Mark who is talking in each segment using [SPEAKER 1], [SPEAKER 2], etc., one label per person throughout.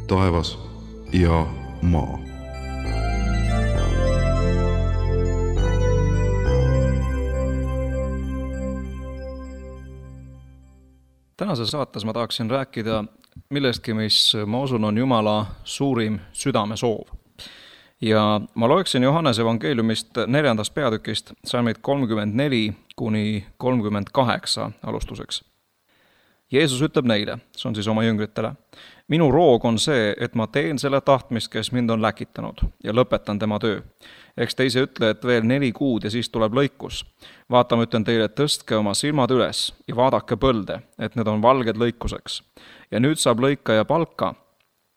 [SPEAKER 1] taevas ja maa.
[SPEAKER 2] Tänases saates ma tahaksin rääkida millestki, mis ma usun on Jumala suurim südamesoov. Ja ma loeksin Johannese evangeeliumist 4. peatükist salmid 34–38 alustuseks. Jeesus ütleb neile, see on siis oma jüngritele: minu roog on see, et ma teen selle tahtmist, kes mind on läkitanud, ja lõpetan tema töö. Eks te ise ütle, et veel 4 kuud ja siis tuleb lõikus. Vaata, ma ütlen teile, tõstke oma silmad üles ja vaadake põlde, et need on valged lõikuseks. Ja nüüd saab lõikaja palka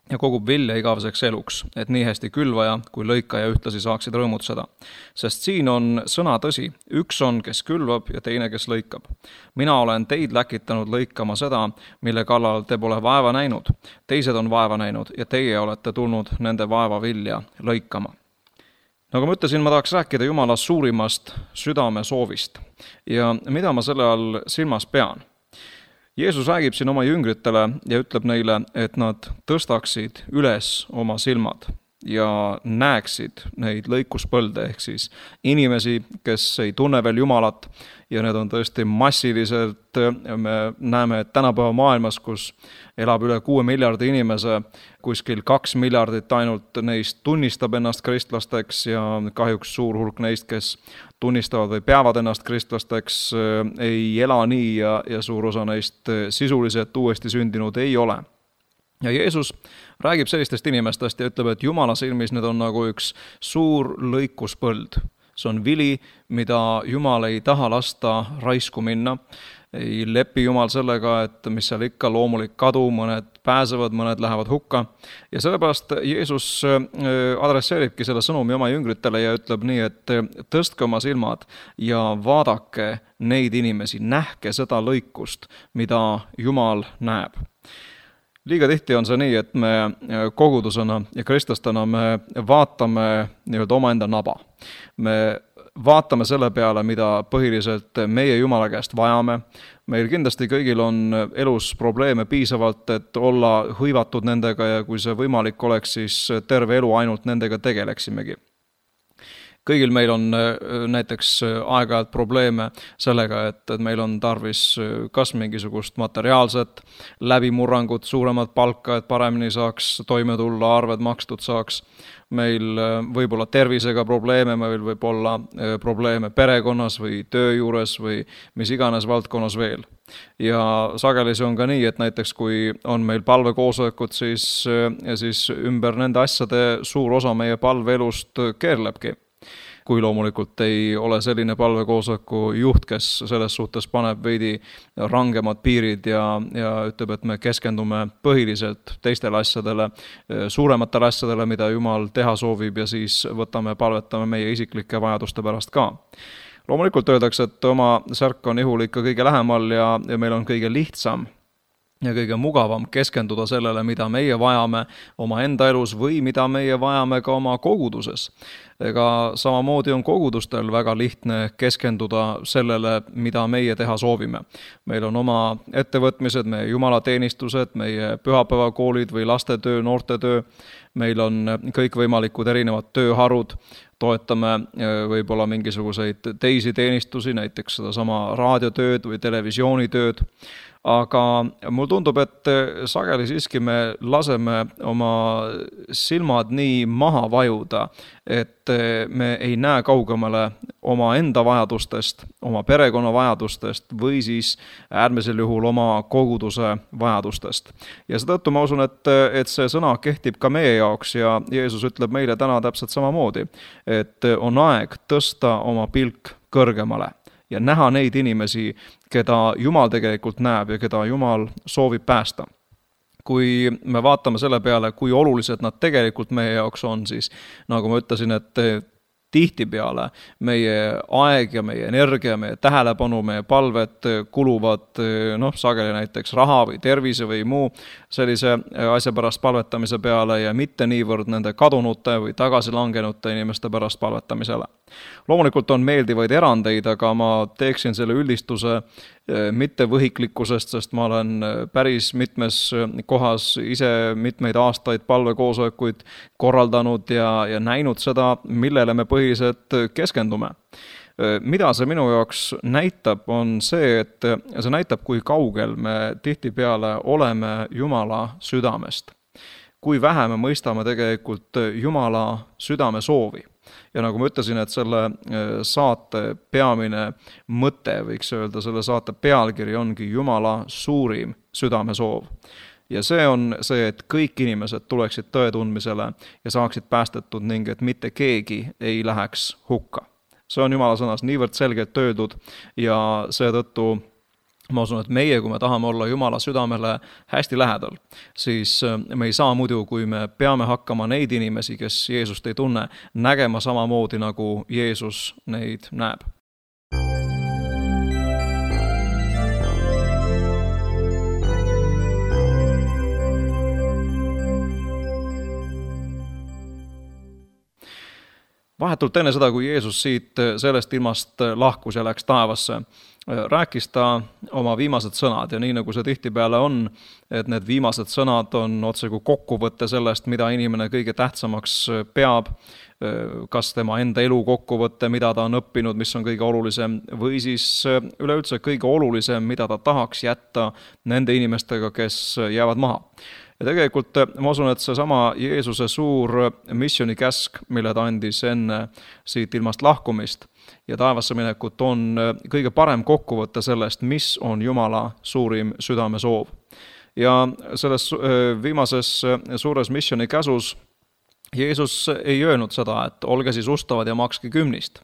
[SPEAKER 2] ja kogub vilja igaveseks eluks, et nii hästi külvaja kui lõikaja ühtlasi saaksid rõõmutseda. Sest siin on sõna tõsi, üks on, kes külvab ja teine, kes lõikab. Mina olen teid läkitanud lõikama seda, mille kallal te pole vaeva näinud. Teised on vaeva näinud ja teie olete tulnud nende vaeva vilja lõikama. Nagu ma ütlesin, ma tahaks rääkida Jumala suurimast südamesoovist. Ja mida ma selle all silmas pean? Jeesus räägib siin oma jüngritele ja ütleb neile, et nad tõstaksid üles oma silmad ja näeksid neid lõikuspõlde, ehk siis inimesi, kes ei tunne veel Jumalat, ja need on tõesti massiliselt. Me näeme, et tänapäeva maailmas, kus elab üle 6 miljardi inimese, kuskil 2 miljardit ainult neist tunnistab ennast kristlasteks ja kahjuks suur hulk neist, kes tunnistavad või peavad ennast kristlasteks, ei ela nii ja suur osa neist sisuliselt uuesti sündinud ei ole. Ja Jeesus räägib sellistest inimestest ja ütleb, et Jumala silmis need on nagu üks suur lõikuspõld. See on vili, mida Jumal ei taha lasta raisku minna. Ei lepi Jumal sellega, et mis seal ikka loomulik kadu, mõned pääsevad, mõned lähevad hukka. Ja sellepärast Jeesus adresseeribki selle sõnumi oma jüngritele ja ütleb nii, et tõstke oma silmad ja vaadake neid inimesi, nähke seda lõikust, mida Jumal näeb. Liiga tihti on see nii, et me kogudusena ja kristlastena me vaatame omaenda naba. Me vaatame selle peale, mida põhiliselt meie Jumala käest vajame. Meil kindlasti kõigil on elus probleeme piisavalt, et olla hõivatud nendega ja kui see võimalik oleks, siis terve elu ainult nendega tegeleksimegi. Kõigil meil on näiteks aeg-ajalt probleeme sellega, et meil on tarvis kas mingisugust materiaalset läbimurrangut, suuremat palka, et paremini saaks toime tulla, arved makstud saaks. Meil võib olla tervisega probleeme, meil võib olla probleeme perekonnas või töö juures või mis iganes valdkonnas veel. Ja sageli see on ka nii, et näiteks kui on meil palvekoosolekud, siis ümber nende asjade suur osa meie palveelust keerlebki. Kui loomulikult ei ole selline palvekoosoleku juht, kes selles suhtes paneb veidi rangemad piirid ja ütleb, et me keskendume põhiliselt teistele asjadele, suurematele asjadele, mida Jumal teha soovib ja siis palvetame meie isiklike vajaduste pärast ka. Loomulikult öeldakse, et oma särk on ihul ikka kõige lähemal ja meil on kõige lihtsam ja kõige mugavam keskenduda sellele, mida meie vajame oma enda elus või mida meie vajame ka oma koguduses. Ega samamoodi on kogudustel väga lihtne keskenduda sellele, mida meie teha soovime. Meil on oma ettevõtmised, meie jumalateenistused, meie pühapäevakoolid või lastetöö, noortetöö. Meil on kõikvõimalikud erinevad tööharud. Toetame võib-olla mingisuguseid teisi teenistusi, näiteks sedasama raadiotööd või televisioonitööd. Aga mul tundub, et sageli siiski me laseme oma silmad nii maha vajuda, et me ei näe kaugemale oma enda vajadustest, oma perekonna vajadustest või siis äärmisel juhul oma koguduse vajadustest. Ja seetõttu ma usun, et see sõna kehtib ka meie jaoks ja Jeesus ütleb meile täna täpselt samamoodi, et on aeg tõsta oma pilk kõrgemale ja näha neid inimesi, keda Jumal tegelikult näeb ja keda Jumal soovib päästa. Kui me vaatame selle peale, kui olulised nad tegelikult meie jaoks on, siis nagu ma ütlesin, et tihtipeale meie aeg ja meie energia, meie tähelepanu, meie palved kuluvad sageli näiteks raha või tervise või muu sellise asja pärast palvetamise peale ja mitte niivõrd nende kadunute või tagasilangenute inimeste pärast palvetamisele. Loomulikult on meeldivaid erandeid, aga ma teeksin selle üldistuse mitte võhiklikkusest, sest ma olen päris mitmes kohas ise mitmeid aastaid palvekoosolekuid korraldanud ja näinud seda, millele me põhiliselt keskendume. Mida see minu jaoks näitab, on see, et see näitab, kui kaugel me tihtipeale oleme Jumala südamest. Kui vähe me mõistame tegelikult Jumala südame soovi. Ja nagu ma ütlesin, et selle saate peamine mõte, võiks öelda, selle saate pealkiri ongi Jumala suurim südamesoov. Ja see on see, et kõik inimesed tuleksid tõe tundmisele ja saaksid päästetud ning et mitte keegi ei läheks hukka. See on Jumala sõnas niivõrd selgelt öeldud ja seetõttu ma usun, et meie, kui me tahame olla Jumala südamele hästi lähedal, siis me ei saa muidu, kui me peame hakkama neid inimesi, kes Jeesust ei tunne, nägema samamoodi, nagu Jeesus neid näeb. Vahetult enne seda, kui Jeesus siit sellest ilmast lahkus ja läks taevasse, rääkis ta oma viimased sõnad ja nii nagu see tihtipeale on, et need viimased sõnad on otse kui kokkuvõtte sellest, mida inimene kõige tähtsamaks peab, kas tema enda elu kokkuvõtte, mida ta on õppinud, mis on kõige olulisem, või siis üleüldse kõige olulisem, mida ta tahaks jätta nende inimestega, kes jäävad maha. Ja tegelikult ma usun, et see sama Jeesuse suur missionikäsk, mille ta andis enne siit ilmast lahkumist ja taevasse minekut, on kõige parem kokkuvõte sellest, mis on Jumala suurim südamesoov. Ja selles viimases suures missionikäsus Jeesus ei öelnud seda, et olge siis ustavad ja makske kümnist.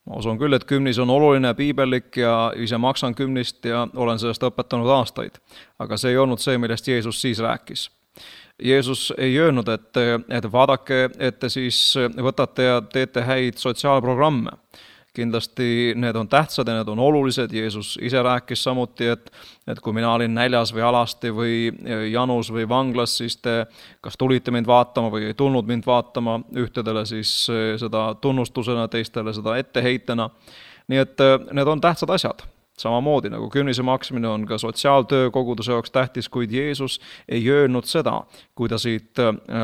[SPEAKER 2] Ma usun küll, et kümnis on oluline, piibellik ja ise maksan kümnist ja olen sellest õpetanud aastaid. Aga see ei olnud see, millest Jeesus siis rääkis. Jeesus ei öelnud, et vaadake, et te siis võtate ja teete häid sotsiaalprogramme. Kindlasti need on tähtsad ja need on olulised. Jeesus ise rääkis samuti, et kui mina olin näljas või alasti või janus või vanglas, siis te kas tulite mind vaatama või ei tulnud mind vaatama, ühtedele siis seda tunnustusena, teistele seda etteheitena. Nii et need on tähtsad asjad. Samamoodi nagu kümnise maksmine on ka sotsiaaltöö koguduse jaoks tähtis, kuid Jeesus ei öelnud seda, kui ta siit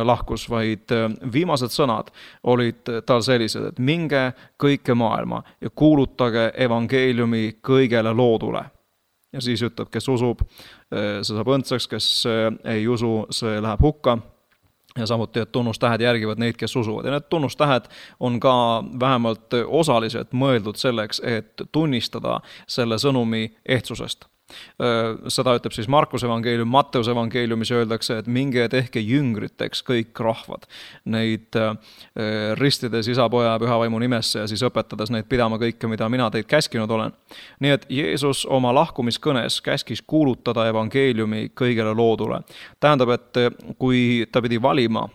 [SPEAKER 2] lahkus, vaid viimased sõnad olid tal sellised, et minge kõike maailma ja kuulutage evangeeliumi kõigele loodule. Ja siis ütleb, kes usub, see saab õndsaks, kes ei usu, see läheb hukka. Ja samuti, et tunnustähed järgivad neid, kes usuvad. Ja need tunnustähed on ka vähemalt osaliselt mõeldud selleks, et tunnistada selle sõnumi ehtsusest. Seda ütleb siis Markuse evangeelium, Matteuse evangeeliumis öeldakse, et minge ja tehke jüngriteks kõik rahvad. Neid ristides isa, poja ja püha vaimu nimesse ja siis õpetades neid pidama kõike, mida mina teid käskinud olen. Nii et Jeesus oma lahkumiskõnes käskis kuulutada evangeeliumi kõigele loodule. Tähendab, et kui ta pidi valima,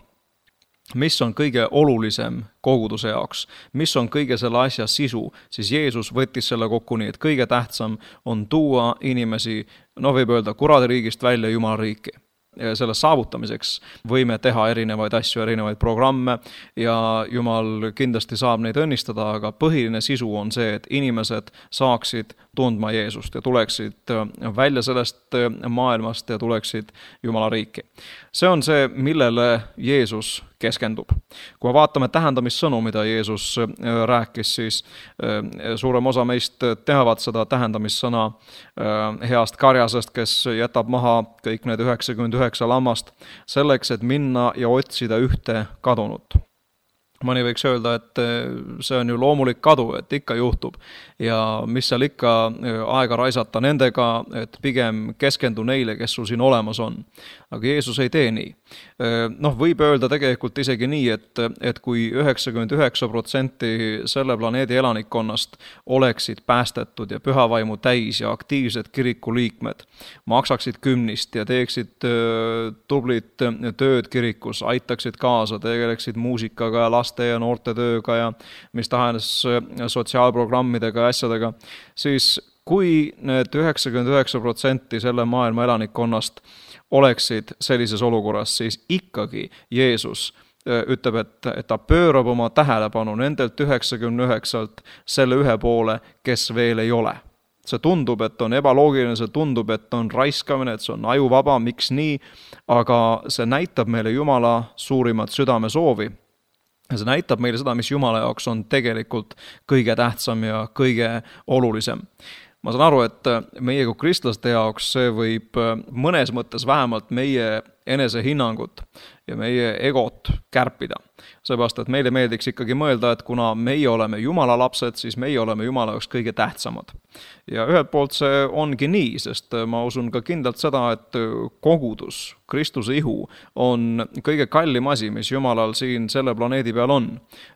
[SPEAKER 2] mis on kõige olulisem koguduse jaoks, mis on kõige selle asja sisu, siis Jeesus võttis selle kokku nii, et kõige tähtsam on tuua inimesi, võib öelda, kuradiriigist välja Jumala riiki. Selle saavutamiseks võime teha erinevaid asju, erinevaid programme ja Jumal kindlasti saab neid õnnistada, aga põhiline sisu on see, et inimesed saaksid tundma Jeesust ja tuleksid välja sellest maailmast ja tuleksid Jumala riiki. See on see, millele Jeesus keskendub. Kui vaatame tähendamissõnu, mida Jeesus rääkis, siis suurem osa meist teavad seda tähendamissõna heast karjasest, kes jätab maha kõik need 99 lammast selleks, et minna ja otsida ühte kadunut. Mõni võiks öelda, et see on ju loomulik kadu, et ikka juhtub ja mis seal ikka aega raisata nendega, et pigem keskendu neile, kes sul siin olemas on. Aga Jeesus ei tee nii. Võib öelda tegelikult isegi nii, et kui 99% selle planeedi elanikkonnast oleksid päästetud ja pühavaimu täis ja aktiivsed kirikuliikmed, maksaksid kümnist ja teeksid tublit tööd kirikus, aitaksid kaasa, tegeleksid muusikaga ja laste ja noorte tööga ja mis tahes sotsiaalprogrammidega ja asjadega, siis kui need 99% selle maailma elanikkonnast oleksid sellises olukorras, siis ikkagi Jeesus ütleb, et ta pöörab oma tähelepanu nendelt 99-lt selle ühe poole, kes veel ei ole. See tundub, et on ebaloogiline, see tundub, et on raiskamine, et see on ajuvaba, miks nii, aga see näitab meile Jumala suurimat südamesoovi. Ja see näitab meile seda, mis Jumala jaoks on tegelikult kõige tähtsam ja kõige olulisem. Ma saan aru, et meie kui kristlaste jaoks see võib mõnes mõttes vähemalt meie enesehinnangut ja meie egot kärpida. Seepärast, et meile meeldiks ikkagi mõelda, et kuna meie oleme Jumala lapsed, siis meie oleme Jumala jaoks kõige tähtsamad. Ja ühelt poolt see ongi nii, sest ma usun ka kindlalt seda, et kogudus, Kristuse ihu on kõige kallim asi, mis Jumalal siin selle planeedi peal on.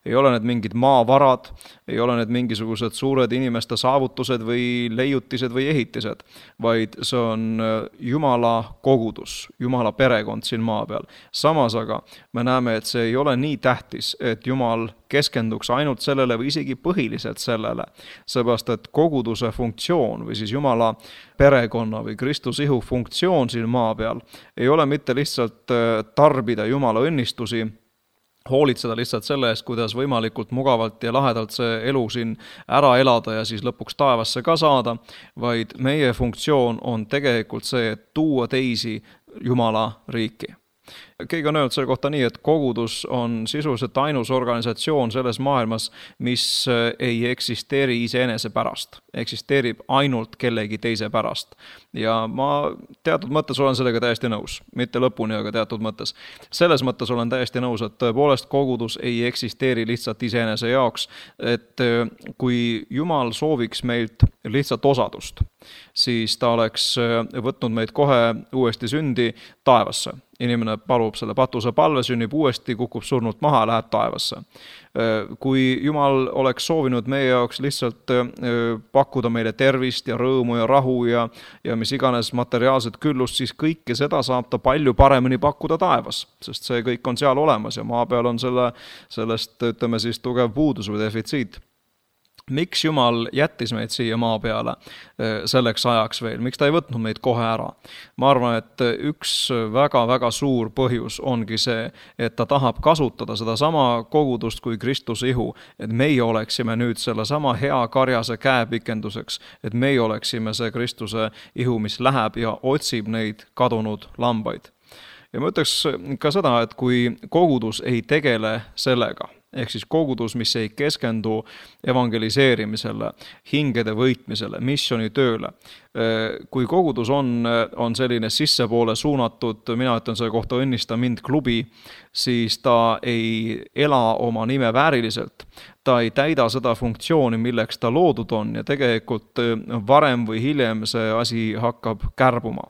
[SPEAKER 2] Ei ole need mingid maavarad, ei ole need mingisugused suured inimeste saavutused või leiutised või ehitised, vaid see on Jumala kogudus, Jumala perekond siin maa peal. Samas aga me näeme, et see ei ole nii tähtis, et Jumal keskenduks ainult sellele või isegi põhiliselt sellele, seepärast, et koguduse funktsioon või siis Jumala perekonna või Kristuse ihu funktsioon siin maa peal ei ole mitte lihtsalt tarbida Jumala õnnistusi, hoolitseda lihtsalt selle eest, kuidas võimalikult mugavalt ja lahedalt see elu siin ära elada ja siis lõpuks taevasse ka saada, vaid meie funktsioon on tegelikult see, et tuua teisi Jumala riiki. Keegi on öelnud selle kohta nii, et kogudus on sisuliselt ainus organisatsioon selles maailmas, mis ei eksisteeri iseenese pärast. Eksisteerib ainult kellegi teise pärast. Ja ma teatud mõttes olen sellega täiesti nõus. Mitte lõpuni, aga teatud mõttes. Selles mõttes olen täiesti nõus, et tõepoolest kogudus ei eksisteeri lihtsalt iseenese jaoks, et kui Jumal sooviks meilt lihtsalt osadust, siis ta oleks võtnud meid kohe uuesti sündi taevasse. Inimene palub selle patuse palve, sünnib uuesti, kukub surnult maha, läheb taevasse. Kui Jumal oleks soovinud meie jaoks lihtsalt pakkuda meile tervist ja rõõmu ja rahu ja mis iganes materiaalset küllust, siis kõike seda saab ta palju paremini pakkuda taevas, sest see kõik on seal olemas ja maa peal on sellest, ütleme siis, tugev puudus või defitsiit. Miks Jumal jättis meid siia maa peale selleks ajaks veel? Miks ta ei võtnud meid kohe ära? Ma arvan, et üks väga-väga suur põhjus ongi see, et ta tahab kasutada seda sama kogudust kui Kristuse ihu, et meie oleksime nüüd selle sama hea karjase käepikenduseks, et meie oleksime see Kristuse ihu, mis läheb ja otsib neid kadunud lambaid. Ja ma ütleks ka seda, et kui kogudus ei tegele sellega, ehk siis kogudus, mis ei keskendu evangeliseerimisele, hingede võitmisele, missionitööle. Kui kogudus on selline sissepoole suunatud, mina ütlen selle kohta õnnista mind klubi, siis ta ei ela oma nime vääriliselt. Ta ei täida seda funktsiooni, milleks ta loodud on ja tegelikult varem või hiljem see asi hakkab kärbuma.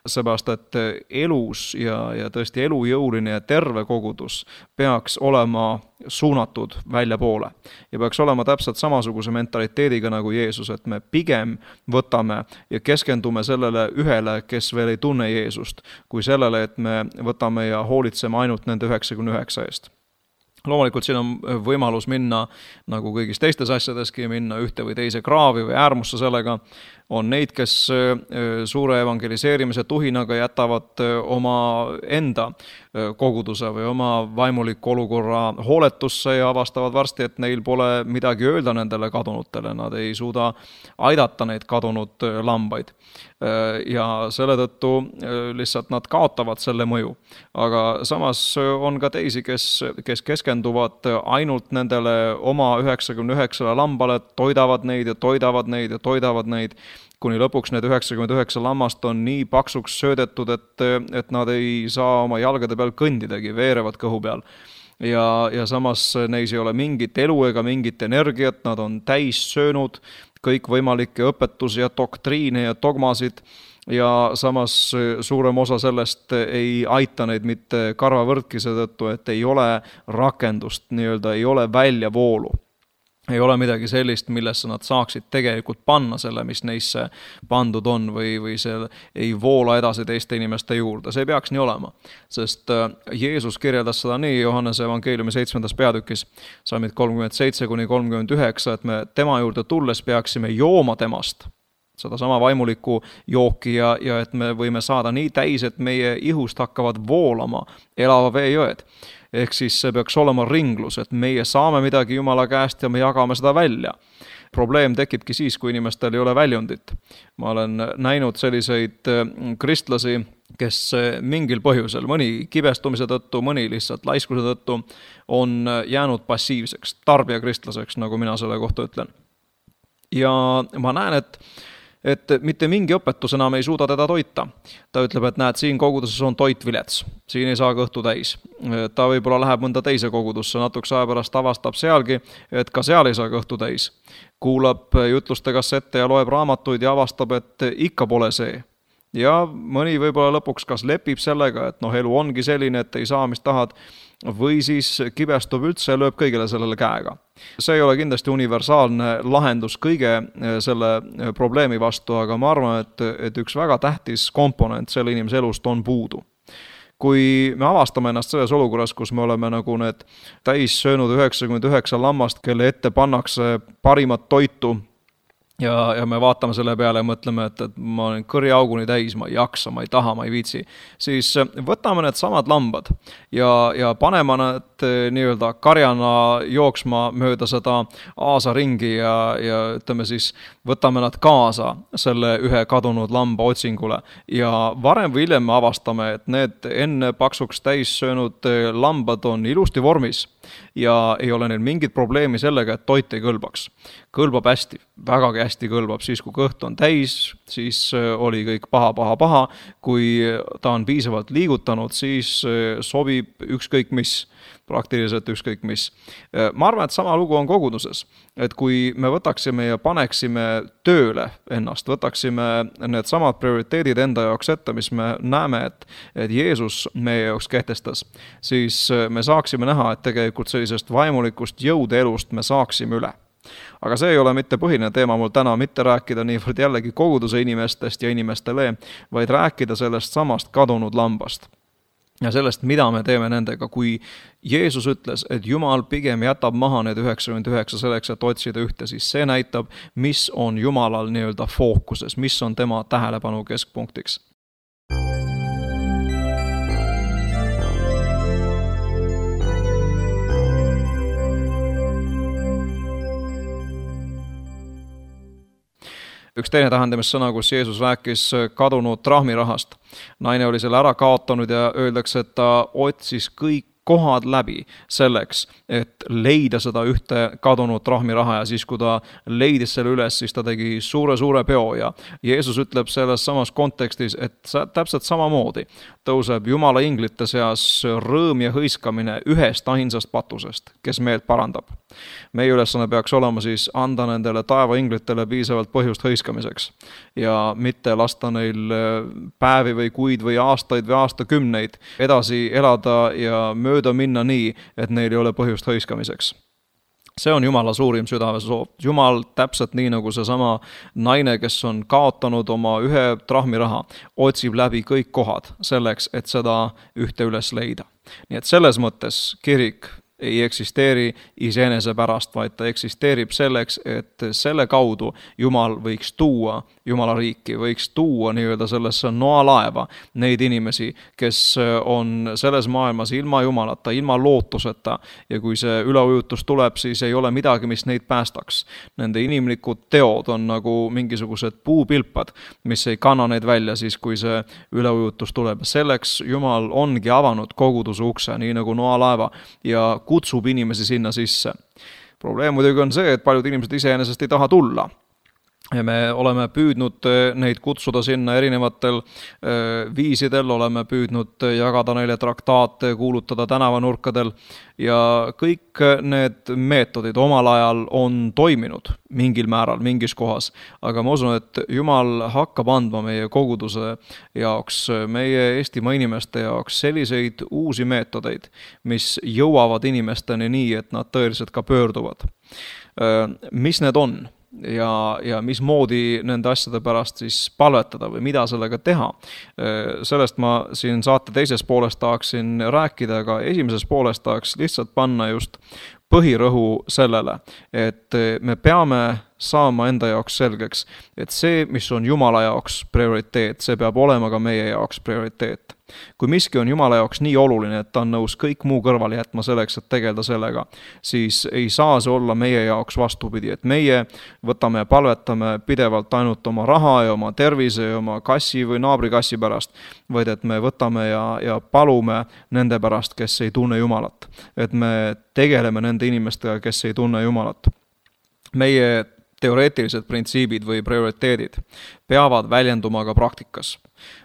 [SPEAKER 2] Seepärast, et elus ja tõesti elujõuline ja terve kogudus peaks olema suunatud välja poole ja peaks olema täpselt samasuguse mentaliteediga nagu Jeesus, et me pigem võtame ja keskendume sellele ühele, kes veel ei tunne Jeesust, kui sellele, et me võtame ja hoolitseme ainult nende 99 eest. Loomulikult siin on võimalus minna, nagu kõigis teistes asjadeski, minna ühte või teise kraavi või äärmusse sellega. On neid, kes suure evangeliseerimise tuhinaga jätavad oma enda koguduse või oma vaimuliku olukorra hooletusse ja avastavad varsti, et neil pole midagi öelda nendele kadunutele. Nad ei suuda aidata neid kadunud lambaid. Ja selle tõttu lihtsalt nad kaotavad selle mõju. Aga samas on ka teisi, kes keskenduvad ainult nendele oma 99 lambale, toidavad neid ja toidavad neid ja toidavad neid, kuni lõpuks need 99 lammast on nii paksuks söödetud, et nad ei saa oma jalgade peal kõndidagi, veerevad kõhu peal. Ja samas neis ei ole mingit elu ega mingit energiat, nad on täis söönud kõik võimalikke õpetusi ja doktriine ja dogmasid ja samas suurem osa sellest ei aita neid mitte karvavõrdki seetõttu, et ei ole rakendust, nii-öelda ei ole väljavoolu. Ei ole midagi sellist, millesse nad saaksid tegelikult panna selle, mis neisse pandud on või see ei voola edasi teiste inimeste juurde. See ei peaks nii olema, sest Jeesus kirjeldas seda nii Johannese evangeeliumi 7. peatükis, salmid 37-39, et me tema juurde tulles peaksime jooma temast, seda sama vaimulikku jooki ja et me võime saada nii täis, et meie ihust hakkavad voolama elava veejõed. Ehk siis see peaks olema ringlus, et meie saame midagi Jumala käest ja me jagame seda välja. Probleem tekibki siis, kui inimestel ei ole väljundit. Ma olen näinud selliseid kristlasi, kes mingil põhjusel, mõni kibestumise tõttu, mõni lihtsalt laiskuse tõttu on jäänud passiivseks, tarbijakristlaseks, nagu mina selle kohta ütlen. Ja ma näen, et mitte mingi õpetus enam ei suuda teda toita. Ta ütleb, et näed, siin koguduses on toit vilets, siin ei saa kõhtu täis. Ta võib-olla läheb mõnda teise kogudusse, natukese aja pärast avastab sealgi, et ka seal ei saa kõhtu täis. Kuulab jutluste kassette ja loeb raamatuid ja avastab, et ikka pole see. Ja mõni võib-olla lõpuks kas lepib sellega, et elu ongi selline, et ei saa, mis tahad, või siis kibestub üldse ja lööb kõigele sellele käega. See ei ole kindlasti universaalne lahendus kõige selle probleemi vastu, aga ma arvan, et üks väga tähtis komponent selle inimese elust on puudu. Kui me avastame ennast selles olukorras, kus me oleme nagu need täis söönud 99 lammast, kelle ette pannakse parimat toitu, ja me vaatame selle peale ja mõtleme, et ma olen kõriauguni täis, ma ei jaksa, ma ei taha, ma ei viitsi, siis võtame need samad lambad ja paneme need nii-öelda karjana jooksma mööda seda aasa ringi ja ütleme siis, võtame nad kaasa selle ühe kadunud lamba otsingule ja varem või hiljem me avastame, et need enne paksuks täis söönud lambad on ilusti vormis ja ei ole neil mingit probleemi sellega, et toit ei kõlbaks. Kõlbab hästi, vägagi hästi kõlbab, siis kui kõht on täis, siis oli kõik paha, kui ta on piisavalt liigutanud, siis sobib ükskõik mis, praktiliselt ükskõik mis. Ma arvan, et sama lugu on koguduses, et kui me võtaksime ja paneksime tööle ennast, võtaksime need samad prioriteedid enda jaoks ette, mis me näeme, et Jeesus meie jaoks kehtestas, siis me saaksime näha, et tegelikult sellisest vaimulikust jõude elust me saaksime üle. Aga see ei ole mitte põhiline teema mul täna, mitte rääkida niivõrd jällegi koguduse inimestest ja inimestele, vaid rääkida sellest samast kadunud lambast. Ja sellest, mida me teeme nendega, kui Jeesus ütles, et Jumal pigem jätab maha need 99 selleks, et otsida ühte, siis see näitab, mis on Jumalal nii-öelda fookuses, mis on tema tähelepanu keskpunktiks. Üks teine tähendamissõna, kus Jeesus rääkis kadunud trahmirahast. Naine oli selle ära kaotanud ja öeldakse, et ta otsis kõik kohad läbi selleks, et leida seda ühte kadunud trahmiraha ja siis, kui ta leidis selle üles, siis ta tegi suure peo ja Jeesus ütleb selles samas kontekstis, et täpselt samamoodi tõuseb Jumala inglite seas rõõm ja hõiskamine ühest ainsast patusest, kes meelt parandab. Meie ülesanne peaks olema siis anda nendele taevainglitele piisavalt põhjust hõiskamiseks ja mitte lasta neil päevi või kuid või aastaid või aastakümneid edasi elada ja mööda minna nii, et neil ei ole põhjust hõiskamiseks. See on Jumala suurim südamesoov. Jumal täpselt nii nagu seesama naine, kes on kaotanud oma ühe trahmiraha, otsib läbi kõik kohad selleks, et seda ühte üles leida. Nii et selles mõttes kirik ei eksisteeri iseenese pärast, vaid ta eksisteerib selleks, et selle kaudu Jumal võiks tuua Jumala riiki, võiks tuua nii-öelda sellesse noalaeva neid inimesi, kes on selles maailmas ilma Jumalata, ilma lootuseta ja kui see üleujutus tuleb, siis ei ole midagi, mis neid päästaks. Nende inimlikud teod on nagu mingisugused puupilpad, mis ei kanna neid välja siis, kui see üleujutus tuleb. Selleks Jumal ongi avanud koguduse ukse, nii nagu noalaeva ja kutsub inimesi sinna sisse. Probleem muidugi on see, et paljud inimesed iseenesest ei taha tulla. Ja me oleme püüdnud neid kutsuda sinna erinevatel viisidel, oleme püüdnud jagada neile traktaate, kuulutada tänavanurkadel ja kõik need meetodid omal ajal on toiminud mingil määral, mingis kohas. Aga ma usun, et Jumal hakkab andma meie koguduse jaoks, meie Eestimaa inimeste jaoks selliseid uusi meetodeid, mis jõuavad inimesteni nii, et nad tõeliselt ka pöörduvad. Mis need on? Ja mismoodi nende asjade pärast siis palvetada või mida sellega teha. Sellest ma siin saate teises pooles tahaksin rääkida, aga esimeses pooles tahaks lihtsalt panna just põhirõhu sellele, et me peame saama enda jaoks selgeks, et see, mis on Jumala jaoks prioriteet, see peab olema ka meie jaoks prioriteet. Kui miski on Jumala jaoks nii oluline, et ta on nõus kõik muu kõrvale jätma selleks, et tegeleda sellega, siis ei saa see olla meie jaoks vastupidi, et meie võtame ja palvetame pidevalt ainult oma raha ja oma tervise ja oma kassi või naabrikassi pärast, vaid et me võtame ja palume nende pärast, kes ei tunne Jumalat. Et me tegeleme nende inimestega, kes ei tunne Jumalat. Meie teoreetilised printsiibid või prioriteedid peavad väljenduma ka praktikas.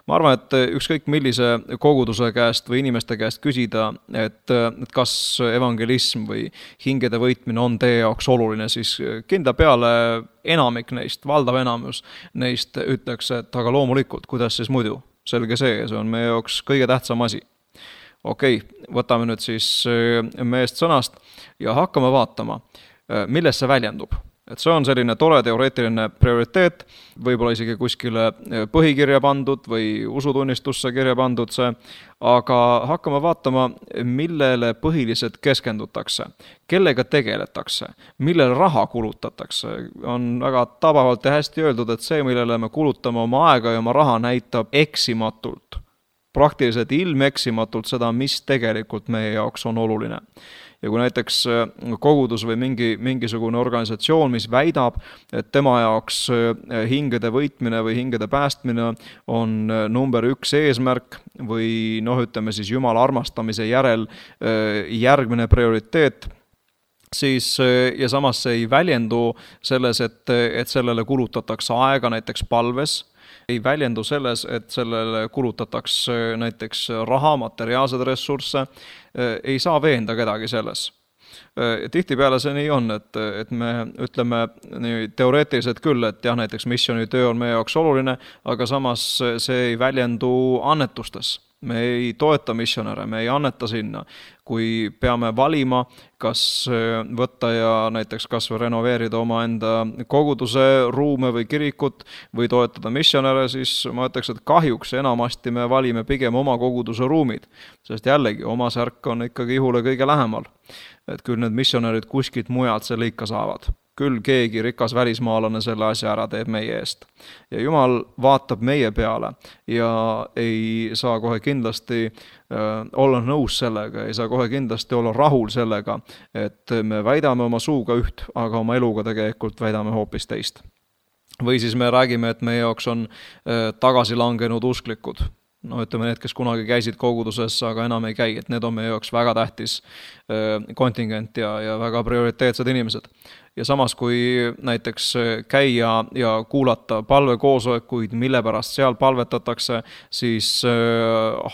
[SPEAKER 2] Ma arvan, et ükskõik millise koguduse käest või inimeste käest küsida, et kas evangelism või hingede võitmine on teie jaoks oluline, siis kindla peale enamik neist, valdav enamus neist ütleks, et aga loomulikult, kuidas siis muidu? Selge see on meie jaoks kõige tähtsam asi. Okei, võtame nüüd siis meest sõnast ja hakkame vaatama, milles see väljendub. Et see on selline tore teoreetiline prioriteet, võib-olla isegi kuskile põhikirja pandud või usutunnistusse kirja pandud see, aga hakkame vaatama, millele põhiliselt keskendutakse, kellega tegeletakse, millele raha kulutatakse. On väga tabavalt ja hästi öeldud, et see, millele me kulutame oma aega ja oma raha, näitab eksimatult, praktiliselt ilmeksimatult seda, mis tegelikult meie jaoks on oluline. Ja kui näiteks kogudus või mingisugune organisatsioon, mis väidab, et tema jaoks hingede võitmine või hingede päästmine on number 1 eesmärk või ütleme siis Jumala armastamise järel järgmine prioriteet, siis ja samas see ei väljendu selles, et sellele kulutatakse aega näiteks palves, ei väljendu selles, et sellele kulutatakse näiteks raha, materiaalsed ressursse, ei saa veenda kedagi selles. Tihtipeale see nii on, et me ütleme nii teoreetiliselt küll, et jah, näiteks missionitöö on meie jaoks oluline, aga samas see ei väljendu annetustes. Me ei toeta missionäre, me ei anneta sinna. Kui peame valima, kas võtta ja näiteks kas või renoveerida oma enda koguduse ruume või kirikut või toetada missionäre, siis ma ütleks, et kahjuks enamasti me valime pigem oma koguduse ruumid, sest jällegi oma särk on ikkagi ihule kõige lähemal. Et küll need missionärid kuskilt mujalt selle ikka saavad. Küll keegi rikas välismaalane selle asja ära teeb meie eest. Ja Jumal vaatab meie peale ja ei saa kohe kindlasti olla nõus sellega, ei saa kohe kindlasti olla rahul sellega, et me väidame oma suuga üht, aga oma eluga tegelikult väidame hoopis teist. Või siis me räägime, et meie jaoks on tagasi langenud usklikud. Ütleme need, kes kunagi käisid koguduses, aga enam ei käi, et need on meie jaoks väga tähtis kontingent ja väga prioriteetsed inimesed. Ja samas, kui näiteks käia ja kuulata palvekoosolekuid, mille pärast seal palvetatakse, siis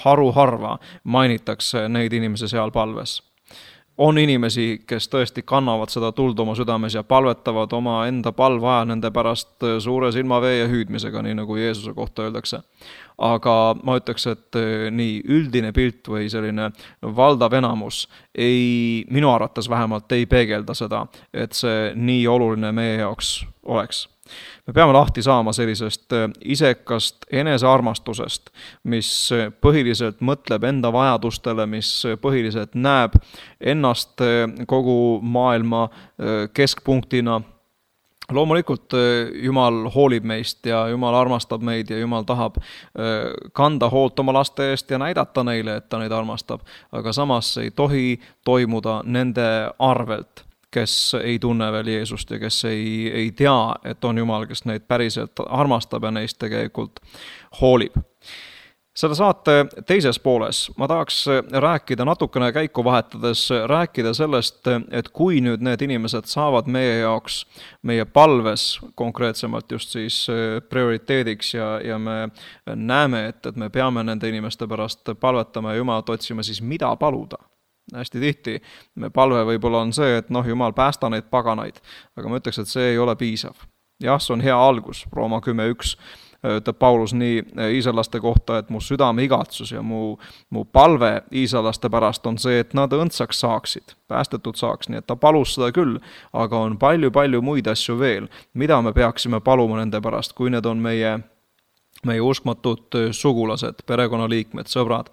[SPEAKER 2] haruharva mainitakse neid inimesi seal palves. On inimesi, kes tõesti kannavad seda tuld oma südames ja palvetavad oma enda palvaja nende pärast suure silmavee ja hüüdmisega, nii nagu Jeesuse kohta öeldakse. Aga ma ütleks, et nii üldine pilt või selline valdav enamus minu arvates vähemalt ei peegelda seda, et see nii oluline meie jaoks oleks. Me peame lahti saama sellisest isekast enesearmastusest, mis põhiliselt mõtleb enda vajadustele, mis põhiliselt näeb ennast kogu maailma keskpunktina. Loomulikult Jumal hoolib meist ja Jumal armastab meid ja Jumal tahab kanda hoolt oma laste eest ja näidata neile, et ta neid armastab, aga samas ei tohi toimuda nende arvelt, kes ei tunne veel Jeesust ja kes ei tea, et on Jumal, kes neid päriselt armastab ja neist tegelikult hoolib. Selle saate teises pooles ma tahaks rääkida natukene käiku vahetades, rääkida sellest, et kui nüüd need inimesed saavad meie jaoks, meie palves konkreetsemalt just siis prioriteediks ja me näeme, et me peame nende inimeste pärast palvetama ja Jumalat otsima, siis mida paluda? Hästi tihti me palve võib-olla on see, et Jumal päästa neid paganaid, aga ma ütleks, et see ei ole piisav. Jah, see on hea algus, Rooma 10.1 ütleb Paulus nii iisraellaste kohta, et mu südame igatsus ja mu palve iisraellaste pärast on see, et nad õndsaks saaksid, päästetud saaks, nii et ta palus seda küll, aga on palju muid asju veel, mida me peaksime paluma nende pärast, kui need on meie uskmatud sugulased, perekonnaliikmed, sõbrad,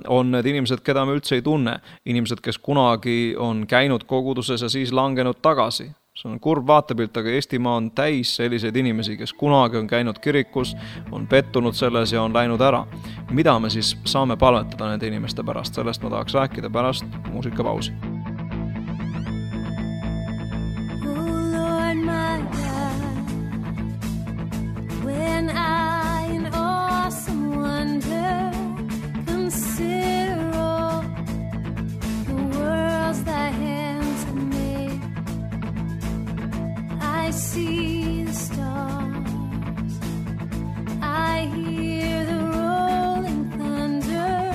[SPEAKER 2] on need inimesed, keda me üldse ei tunne, inimesed, kes kunagi on käinud koguduses ja siis langenud tagasi. see on kurb vaatepilt, aga Eestimaa on täis selliseid inimesi, kes kunagi on käinud kirikus, on pettunud selles ja on läinud ära. Mida me siis saame palvetada nende inimeste pärast? Sellest ma tahaks rääkida pärast muusikapausi.
[SPEAKER 3] I see the stars, I hear the rolling thunder,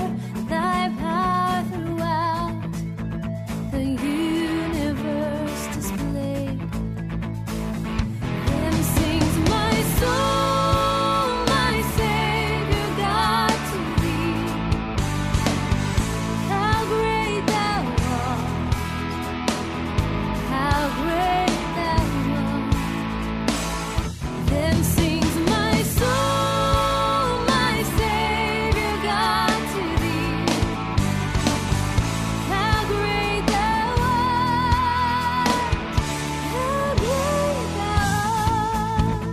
[SPEAKER 3] thy power throughout the universe displayed. Then sings my soul, my Savior God, to thee. How great thou art, how great. Then sings my soul, my Savior God, to thee. How great thou art, how great thou art.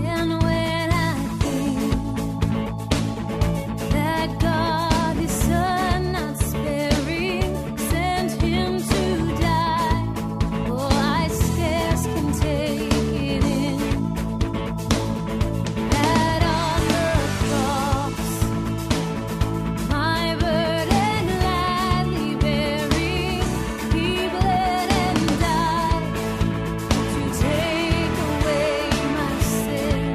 [SPEAKER 3] And when I think that God, His Son, not sparing, sent Him to die, oh, I scarce can take it in, that on the cross, my burden gladly bearing, He bled and died to take away my sin.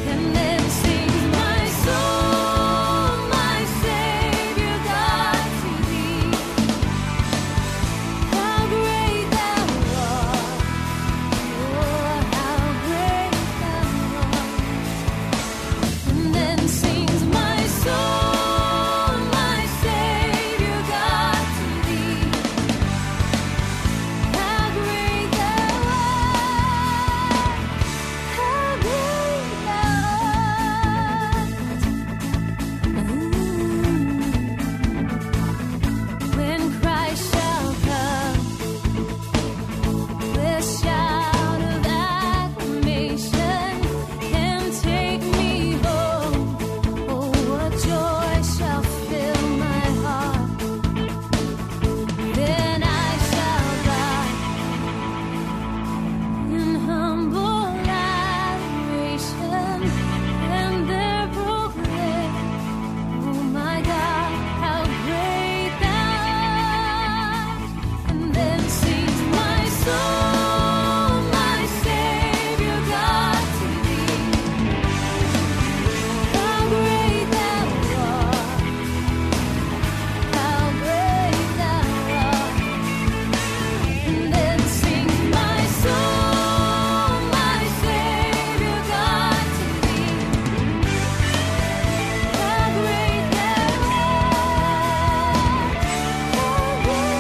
[SPEAKER 3] And then sings my soul, my Savior God, to thee. How great thou art, oh, how great thou art. And then sings my soul, my Savior God, to thee. How great thou art, how great thou art. When Christ shall come with shout of acclamation and take me home, oh, what joy shall fill my heart. Then I shall bow in humble adoration and there proclaim, oh my God, how great thou art. And then sings my soul, my Savior God, to thee. How great thou art, how great thou art. And then sings my soul, my Savior God, to thee. How great thou art, how great